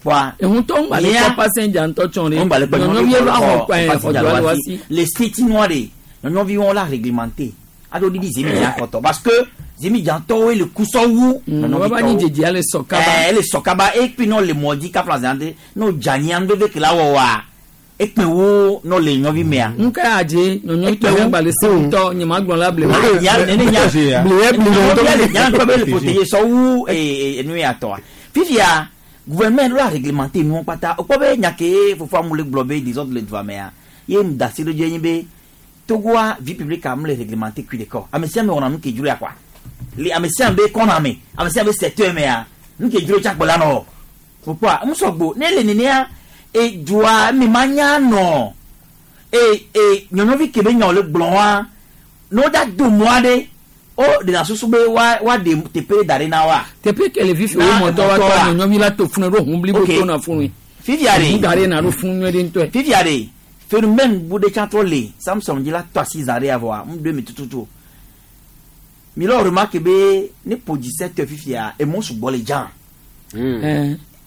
kpɔa
Ehuntɔ ŋgba le kpɔ passenger ŋutɔ tsɔ ɖe.
ŋgba le kpɔ
Nyɔnuvia va xɔ kpɛ xɔ dua le wa si.
le state noa de nyɔnuvi wɔn la réglementé ado didi zemi dza kɔtɔ parce que zemi dzatɔwoe le kusɔ wu
Wọ́n bá ní jèjì alẹ́ sọ kaba.
ɛɛ ele sɔ kaba ekpi nɔ le mɔ dzi kafla zã de n'o dza nyi anu veve ke la wɔ wa ekpe wo nɔ le nyɔvi mea.
Nka yà jẹ nyɔnyɔ tɔ yẹn gbalẹ sewutɔ nyema gblɔ la ble.
Ya nene nya nya ŋutɔ be le protéger sɔ wu enu ya tɔa fifia Gouvernement ɖo la réglementer nuwo kpata. Wokpɔ be nya ke fofoa mu le gblɔ be désordre le dua mea, ye mu da asi ɖo dzi enye be Togoa vie publique a mu le réglementer kui ɖeka o. Ame sia ame wɔna nu ke dzro ya kɔa. Le ame sia ame be kɔna me, ame sia ame be secteur mea, nu ke dzro tsa kpɔ la nɔ. Wokpɔa, ŋu sɔgbo. Ne le nenea, edua me manya nɔ. E e nyɔnyɔvi ke be nya wòle gblɔ wa, ne wodza do mɔ aɖe, wo ɖena susu be wa woaɖe teƒe da ɖi na woa.
Teƒe ke le fifi wo mɔtɔ wa tɔ nyɔnyɔvi la to funu ɖo hun blibo to na funu.
Fifia ɖe.
Hun da ɖe na ɖo funu nyuie ɖe ŋutɔe.
Fifia ɖe, phénomène bu ɖe tsã trɔ le Samson dzi la tɔ asi zã ɖe ya vɔa, ŋu ɖo eme tututu o. Mi lɔ remarque be ne ƒo 17 heures fifia, emɔ sugbɔ le dza.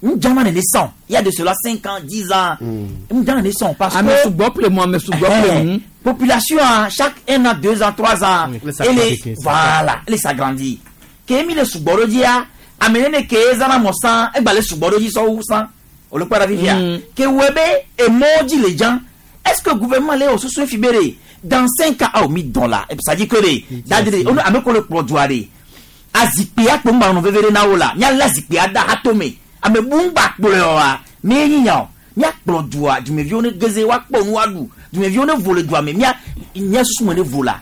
Nu dzana nene sɔn. Il y a de cela 5 ans, 10 ans. Nu dzana nene sɔn parce que
Ame sugbɔ ƒle mɔ, ame sugbɔ ƒle nu.
Population a, chaque 1 an, 2 ans, 3 ans, elle est, voilà, elle s'agrandit. Ke mi le sugbɔ ɖo dzia, ame nene ke zãna mɔ sã, egba le sugbɔ ɖo dzi sɔwu sã. Wòle kpɔe ɖa fifia. Ke wɔe be emɔwo dzi le dzã. Est-ce que gouvernement le wɔ susu fi be ɖe dans 5 ans, awo mi dɔn la, ça dit que ɖe, dadi ɖe, ame ko le kplɔ dua ɖe. Azikpui akpo ŋgba nɔ veve ɖe na wo la, míalé azikpui ada hatome. Ame bu ŋgba kplɔe oa, mee nyi nya o. Míakplɔ dua, dumeviwo ne geze, woakpɔ nu woaɖu. Dumeviwo ne vo le dua me, mía, mía susu me ne vo la.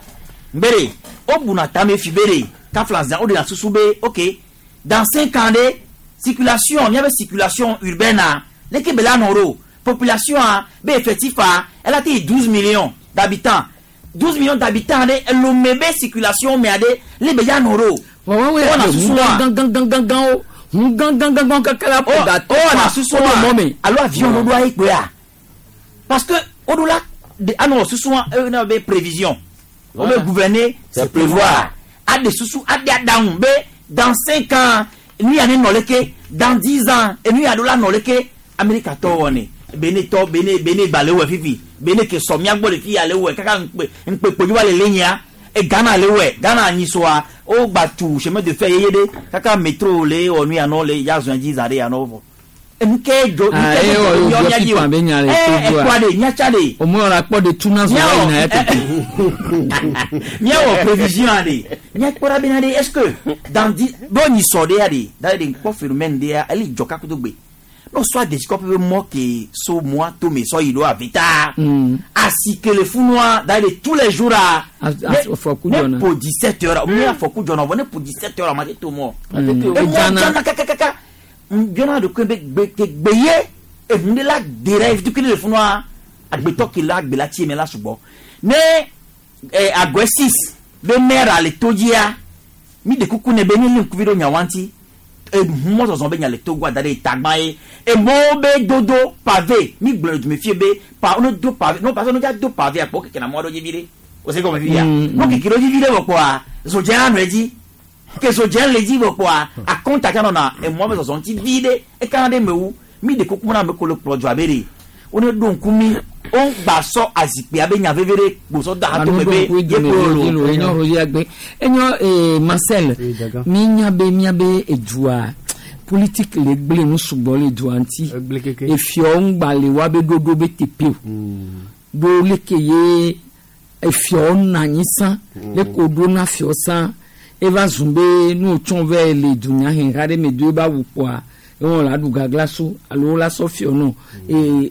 Ŋgbe ɖe, wobuna tame fi be ɖe, kafla zã, woɖena susu be, ok, dans 5 ans ɖe, circulation, míabe circulation urbaine a, leke be la nɔ ɖo? Population a, be effectif a, ela te yi 12 millions d'habitants. 12 millions d'habitants ɖe, elome be circulation mea ɖe, le be ya nɔ ɖo?
Wɔwɔ
Wowɔna
ya
susu wa.
hun ganganganganganwo, hun ganganganganwo kaka la ƒo da tɔ
Wowɔna
fa,
susu
woɖo
wa.
mɔ me.
Alo avion ɖoɖoa ye kpɔea? Parce que woɖo la de anɔ susu wa, eye be prévision. Wo be gouverner, c'est prévoir. Aɖe susu, aɖe aɖaŋu be dans 5 ans, nu ya ne nɔ leke, dans 10 ans, enu ya ɖo la nɔ leke. Amerika tɔwo wɔnɛ. Bene tɔ, bene, bene gba le wɔe fifi. Bene ke sɔ mía gbɔ le fi ya le wɔe. Kaka ŋkpe, ŋkpe kpo dzi va le le nyia. E Ghana le wɔe. Ghana anyi soa, wo gba tu chemin de fer yeye ɖe. Kaka métro le wɔ nu ya nɔ le ya zɔn dzi zã ɖe ya nɔ vɔ. Enu ke dzo, nu
Ah,
ke
eh,
dzo
wɔ,
míɔ
wɔ
mía dzi o.
pipa be nya le
Eh,
Togoa.
ekpɔa ɖe, mía tsa ɖe.
Omɔ la kpɔ ɖe tuna zɔ
Míawɔ,
va yina ya tete.
Míawɔ prévision ɖe. Míakpɔ ɖa bena ɖe, est-ce que dans dix, bo nyi sɔ ɖe ya ɖe, da ɖe ŋkpɔ phénomène ɖe ya, eli dzɔ kakudo gbe. No soit des copes be mɔ ke so mɔa to me sɔ yi ɖo avita. Asi ke le funua, da ɖe tous les jours a.
Afɔku
Ne
dzɔna.
po 17 heures, mi afɔku dzɔna vɔ ne po 17 heures ma te to mɔ. Emɔ
Edzana.
dzana kakakaka. Ŋbiɔna ɖokui be gbe ke gbe ye eŋu ɖe la de ɖe tukui le funua. Agbetɔ ke la agbe la tsi me la sugbɔ. Ne agɔe 6 be maire le to dzia, mi ɖe kuku ne be ne li ŋkuvi ɖo nyawa ŋuti. Mɔzɔzɔ be nya le Togo da ɖe tagba ye. Emɔwo be dodo pavé, mi gblɔ le dume fie be pa ne do pavé, no parce que ne dza do pavé akpɔ keke na mɔ ɖo dzi vi ɖe. O se gɔme fifia. No keke ɖo dzi vi ɖe vɔ kpɔa, zodze anɔ edzi. Ke zodze le dzi vɔ kpɔa, akɔnta tsã nɔna emɔ be zɔzɔ ŋuti vi ɖe. Ekana ɖe mewu. Mi ɖe kuku na ame ko le kplɔ dzoa be ɖe. Wo ne ɖo ŋku mi, wo gba sɔ azikpui abe nya veve ɖe kposɔ da hato me be
Anu ɖo ŋku
ye
dome
kplɔ
be
lo.
lo, enyo ro ya gbe. Enyo, Marcel,
Oui, d'accord.
mi nya be mia be edua politique le gble nu sugbɔ le dua ŋuti.
Egble keke.
Efiɔ ŋgba le wa be ɖoɖo be teƒe o. Ɖo leke ye efiɔ na anyi sã, leke woɖo na fiɔ sã, eva zu be nu wotsɔ vɛ le dunyaheha ɖe me do eba wu kpɔa, ewɔ la ɖu gagla so alo la sɔ fiɔ nɔ.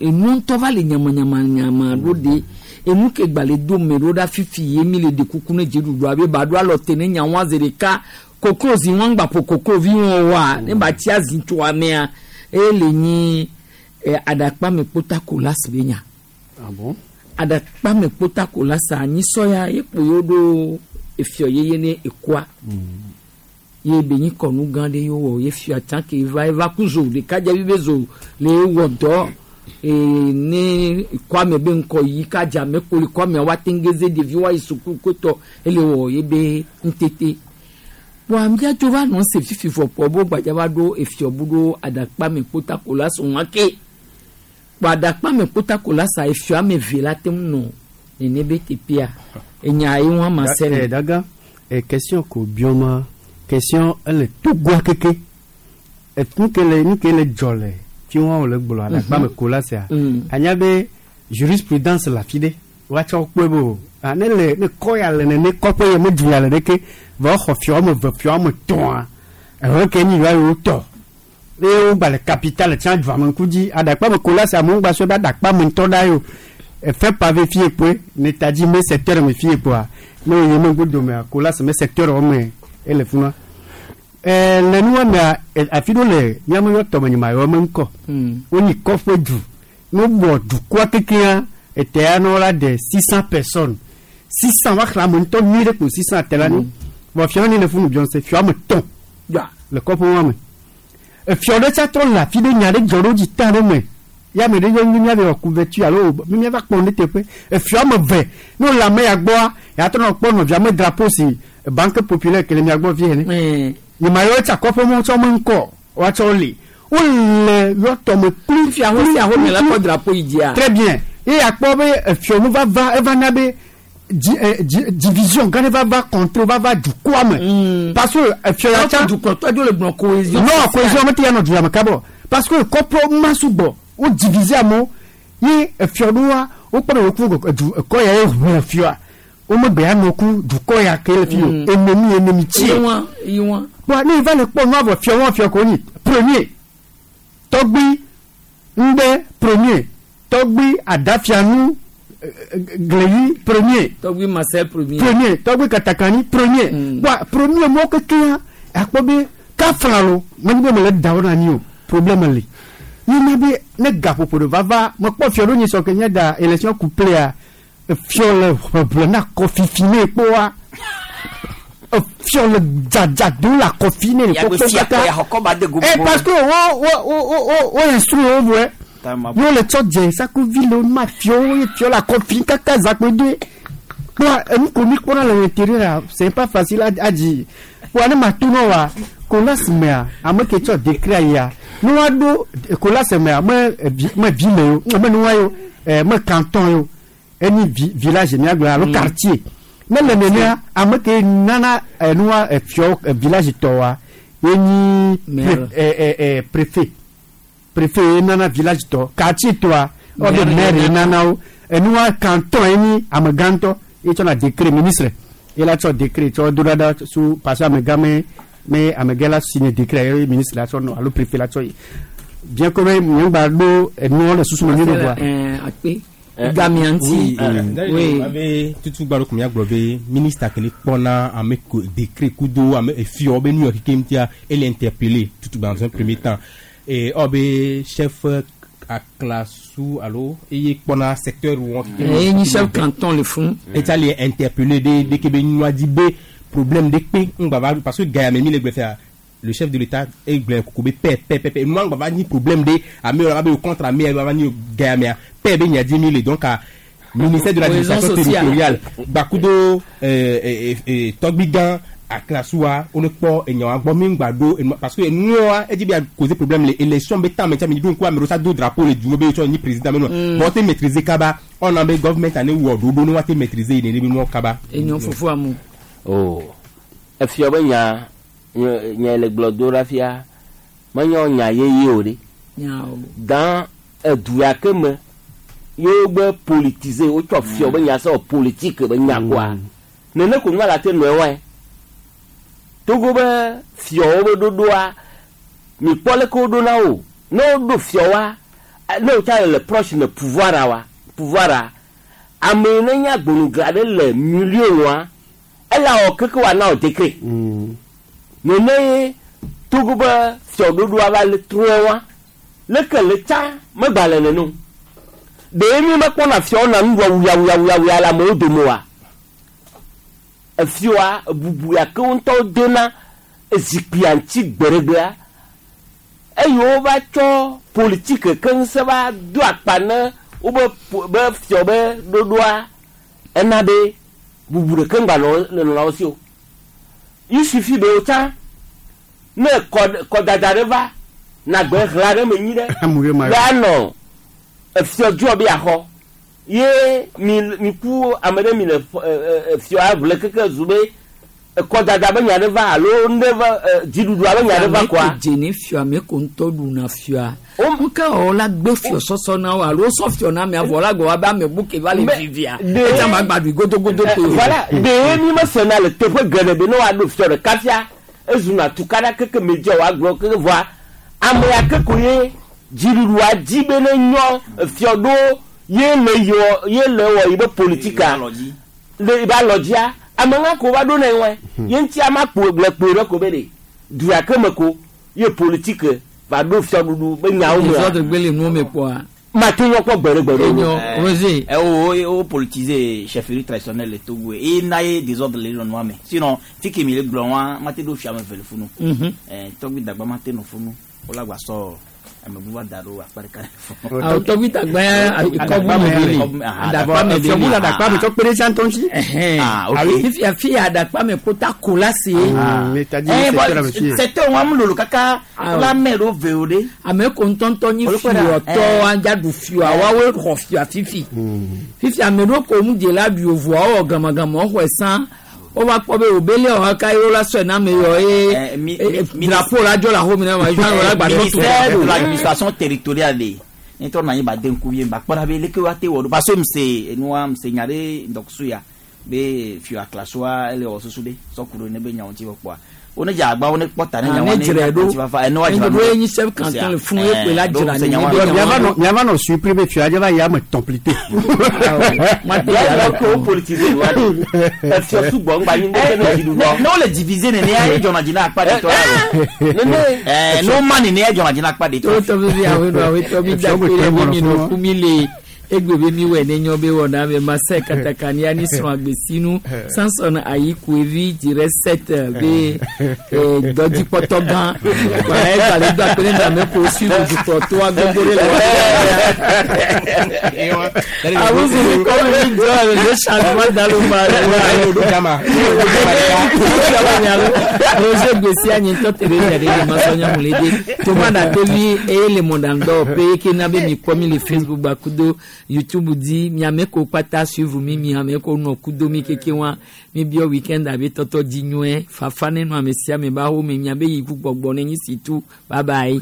Enu ŋutɔ va le nyamanyamanyama ɖo ɖe. Enu ke gba le do me ɖo ɖa fifi ye mi le ɖe kuku ne dziɖuɖu abe ba ɖo alɔ te ne nya wa zi ɖeka. Koklozi wɔn gba ƒo koklovi wɔn wa, ne ba tsi azi tso amea, eye le nyi, aɖakpa me kpota ko la si be nya.
Ah bon?
Aɖakpa me kpota ko la sa, anyi sɔya ye kpo yewo ɖo efiɔ yeye ne ekua. Ye be nyi kɔnu gã ɖe ye wɔ, ye fia tsã ke va, eva ku zo ɖeka dze be zo le wɔ dɔ. Ne kwame be ŋkɔ yi ka dza me ko le kwame wa tengeze ɖevi wa yi suku kotɔ ele wɔ ye be ŋutete. Wa mía tso va nɔ se fifi vɔ kpɔ bo gbadza va ɖo efiɔ bu ɖo aɖakpa me kpota ko la sɔn wa ke. Kpɔ aɖakpa me kpota ko la sa efiɔ ame eve la te ŋu nɔ nene be teƒea. Enya ye ŋu ama se ne.
Daga, question ko bioma, question ele Togoa keke. Nu ke le, nu ke le dzɔ le fi wɔn wòle gblɔ aɖakpa me ko la sea. Anya be jurisprudence la fi ɖe. Woatsɔ kpɔe be o. Ah, ne le, ne kɔ ya le nene, kɔƒe ya me du ya le ɖeke, vɔ xɔ fiɔ ame eve, fiɔ ame etɔ̃a, ehe ke nyi va yewo tɔ. Eye wogba le capitale tsã dua me ŋku dzi aɖakpa me kola sia amewo gba sɔe be aɖakpa me ŋutɔ ɖa yo. Efe pavé fie kpoe ne ta dzi me secteur me fie kpoa ne wo yi me ŋku domea kola se me secteur wo me ele funa. E le nua mea afi ɖewo le míame yɔ tɔme nyima yɔ me ŋkɔ. Wonyi kɔƒe du. Ne wobɔ dukɔa kekeŋa etea ne wola ɖe 600 personnes. 600 woaxlẽ ame ŋutɔ nyuie ɖe kpo 600 te la ni. Vɔ fiɔ ni le funu biɔnse fiɔ ame tɔ̃ le kɔƒe wa me. Efiɔ ɖe tsa trɔ le afi ɖe nya ɖe dzɔ ɖo dzi ta ɖe me. Ya ame ɖe yɔ mi míave wɔ couverture alo mi míava kpɔ nu teƒe. Efiɔ ame ve ne wole ame ya gbɔa ya trɔ nɔ kpɔ nɔvia me drapeau si Banque Populaire ke le mia gbɔ vie ene. Nyema yɔ tsa kɔƒe mɔ tsɔ me ŋkɔ woatsɔ li. Wole yɔ tɔme kpli.
Fia ho sia ho me la kɔ drapeau yi dzia.
Très bien. Ye akpɔ be efiɔ nu vava eva na be di di division gã ɖe vava contre vava dukɔa me. Parce que efiɔ ya tsa.
Dukɔtɔ dzo le gblɔ cohésion.
Non cohésion mete ya nɔ du ya me kabɔ. Parce que kɔƒe ma sugbɔ wo diviser amewo ye efiɔ ɖoa wokpɔ be woku edu ekɔ ya ye ʋu efiɔa. Womegbe ya nɔ ku dukɔ ya ke le fi o. Ennemi ennemi tsie.
Yiwa yiwa.
Bon ne va le kpɔ nua vɔ fiɔ wɔn fiɔ ko nyi premier tɔgbi ŋgbɛ premier tɔgbi adafianu gleyi premier.
Tɔgbi Marcel premier.
Premier tɔgbi katakani premier. Bon premier mɔ kekeŋ akpɔ be kafla lo menye be mele da wo na anyi o problème li. Yina be ne gaƒoƒo ɖe vava mekpɔ fiɔ ɖo nyi sɔ ke nye da élection couplée fiɔ le ʋeʋle na kɔfifi ne kpɔa. Fiɔ le dzadza do la kɔfi ne kpɔkpɔ kaka. Eh parce que wo wo wo wo wo instruit wo vɔe. Yo le tsɔ dze sakuvi le ma fiɔ wo ye fiɔ la kɔfi kaka zakpe de. Kpɔa enu ko mi kpɔna le intérieur c'est pas facile à dire. Kpɔa ne ma to nɔ wa kolas mea ame ke tsɔ décret ya. Ne wa ɖo kolas mea me me ville yo me nua yo me canton yo. Eni village miagblɔ alo quartier. Ne le nenea ame ke nana enua efiɔ village tɔ wa ye nyi préfet. Préfet ye nana village tɔ quartier tɔa ɔbe maire ye nana wo enua canton ye nyi amegãtɔ ye tsɔna décret ministre ye la tsɔ décret tsɔ do ɖa su parce que amegã me me amegã la signé décret ye ministre la tsɔ nɔ alo préfet la tsɔ yi bien que me nyɔgba ɖo enuwo le susu me nyuie ɖe voa.
Akpe. Gamianti.
Oui. Abe tutu gbalo kum ya gblɔ be ministre kele kpɔna ame ko décret kudo ame efiɔ be nu yɔ keke ŋutia ele interpellé tutu dans un premier temps et ɔbe chef aklasu alo eye kpɔna secteur wɔn keke.
Eye nyi chef canton le fún.
Eta le interpellé de de ke be nua di be problème de kpe ŋgba va parce que gaya me mi le gblɔ fia. Le chef de l'État est gblẽ koko be paix paix paix paix nua ŋgba va nyi problème de ame yɔ be contre ame yɔ va nyi gaya mea. Paix be nya di mi le donc à ministère de l'administration territoriale bakudo tɔgbigan aklasua on kpɔ enyawa gbɔ mi ŋgba do parce que nua edzi be causer problème le élection be temps me tsa mi do ŋku ame ɖewo do drapeau le du me be tsɔ nyi président me nua bon te maîtriser kaba on a be government ane wɔ ɖoɖo ne wa te maîtriser yi nene be nua kaba.
Enyo fufu amu.
Oh efiɔ be nya nya le gblɔ do ɖa fia menye nya yeye o ɖe. Dans edu ya ke me yewo gbe politiser wotsɔ fiɔ be nya sɔ politique be nya koa nene ko nua la te nɔe wɔe Togo be fiɔwo be ɖoɖoa mi kpɔ leke woɖo na wo ne woɖo fiɔwoa ne wotsa le proche ne pouvoir wa pouvoir ame yi ne nye agbonugla ɖe le milieu nua ela wɔ keke wa na wò décret nene ye Togo be fiɔɖoɖoa va le trɔe wa leke le tsa megba le nene o. Ɖe mi mekpɔna fiawo na nuɖua wuya wuya wuya wuya le amewo dome oa? Efioa bubu ya ke wo ŋutɔwo dona zikpuia ŋuti gbeɖegbea eye wova tsɔ politike ke ŋusẽ va do akpa ne wobe be fiɔ be ɖoɖoa ena be bubu ɖeke ŋgba nɔ le nɔlawo si o. Il suffit be wotsa ne kɔdada ɖe va nagbe ɣla ɖe me nyi ɖe be anɔ efiɔ dzɔ be yaxɔ ye mi ku ame ɖe mi le efiɔ aʋle keke zu be kɔdada be nya ɖe va alo nu ɖe va dziɖuɖua be nya ɖe va koa.
Ame ko dze ne fiɔ ame ko ŋutɔ ɖuna fiɔa. Nuka wɔ la gbe fiɔ sɔsɔ na wo alo sɔ fiɔ na amea vɔ la gbɔ wa be ame bu ke va le vivia. Etsa ma gba ɖui godogodo ko.
Voilà ɖe mi mesena le teƒe geɖe be ne woaɖo fiɔ ɖeka fia ezuna tukaɖa keke me dzɔ woagblɔ keke vɔa Ame ya ke ko ye dziɖuɖua dzi be ne nyɔ efiɔ ɖo ye le yɔ ye le wɔ yi be politika le yi be alɔdzia ame ŋa ko va ɖo ne wɔe ye ŋuti ama kpo le kpoe ɖe ko be ɖe du ya ke me ko ye politike va ɖo fiɔɖuɖu be nyawo mea
Désordre gbe le nuwo me kpɔa.
mate nyɔ kpɔ gbe ɖe gbe ɖe
Enyo, Roger.
O politiser chefferie traditionnelle le Togo e na ye désordre le nɔnɔa me sinon fi ke mi le gblɔ wa mate ɖo fia me ve le funu. Tɔgbi dagba mate nɔ funu wola gba sɔ amebu va da ɖo akpa ɖeka le funu.
Awo tɔgbi dagba ya kɔbu me be le. Adakpa me be le.
Fiɔbu le adakpa me tsɔ kpe ɖe sia ŋutɔ ŋuti.
Ah, ok.
Fifia fi adakpa me kota ko la se.
Bon, secteur wa mu lolo kaka wola mɛ ɖo ve o ɖe.
Ame ko ŋutɔŋutɔ nyi fiɔtɔ anja ɖu fiɔa woawoe xɔ fia fifi. Fifi ame ɖewo ko mu dze la ɖu ovoa wɔ gamagama xɔe sã. Wova kpɔ be wòbe lé wɔ ka ye wola sɔe na ame yɔ ye drapeau la dzɔ le axome na ma ye wola gba tɔ to.
Ministère de l'administration territoriale de ne tɔ na anyi ba de ŋkuvi ba kpɔ ɖa be leke woate wɔ ɖo parce que mse enua mse nya ɖe ŋdɔkusu ya be fia klasoa ele wɔ susu ɖe sɔku ɖo ne be nyawo ŋuti kpɔa wo ne dze agba wo ne kpɔ ta ne nyawo
ne
ne
dzrae ɖo
ŋuti fafa ene wa
ne
dzra
ɖo ye nyi chef canton le funu ye kpe la dzra ne ne be
Miava
nyawo
nɔ miava nɔ surpris be fia dze va yi ame tɔn plite.
Ya ko politiser wa de efiɔ sugbɔ ŋgba nyi ne ne dziɖuɖua
ne wole diviser nenea ye dzɔna dzi na akpa ɖe tɔ la o ɛɛ ne wo ma nenea ye dzɔna dzi na akpa ɖe tɔ.
To tɔ vivi awo nɔ awo tɔ mi da kpe ɖe mi mi nɔ ku mi le egbe be mi wɔ ne nyɔ be wɔ na me masɛ katakani ani srɔ̃ agbesinu Samson ayi kuevi dzire set be dɔdzikpɔtɔ gã wala egba le do akpe ne dame ko suivre dukplɔtɔa gbogbo ɖe le wa. Awuzu mi kɔ mi mi jɔ le changement dans le Roger Gbèsè anyintɔ Theresa de le masɔnya mu le de Thomas Datevi eye le mɔɖaŋdɔ pe ke na be mi kpɔ mi le Facebook gba kudo YouTube di miame ko kpata suivre mi miame ko nɔ kudo mi keke wa mi biɔ weekend abe tɔtɔ dzi nyɔe fafa ne nɔ ame sia ame ba home miabe yi ku gbɔgbɔ ne nyi si tu bye bye.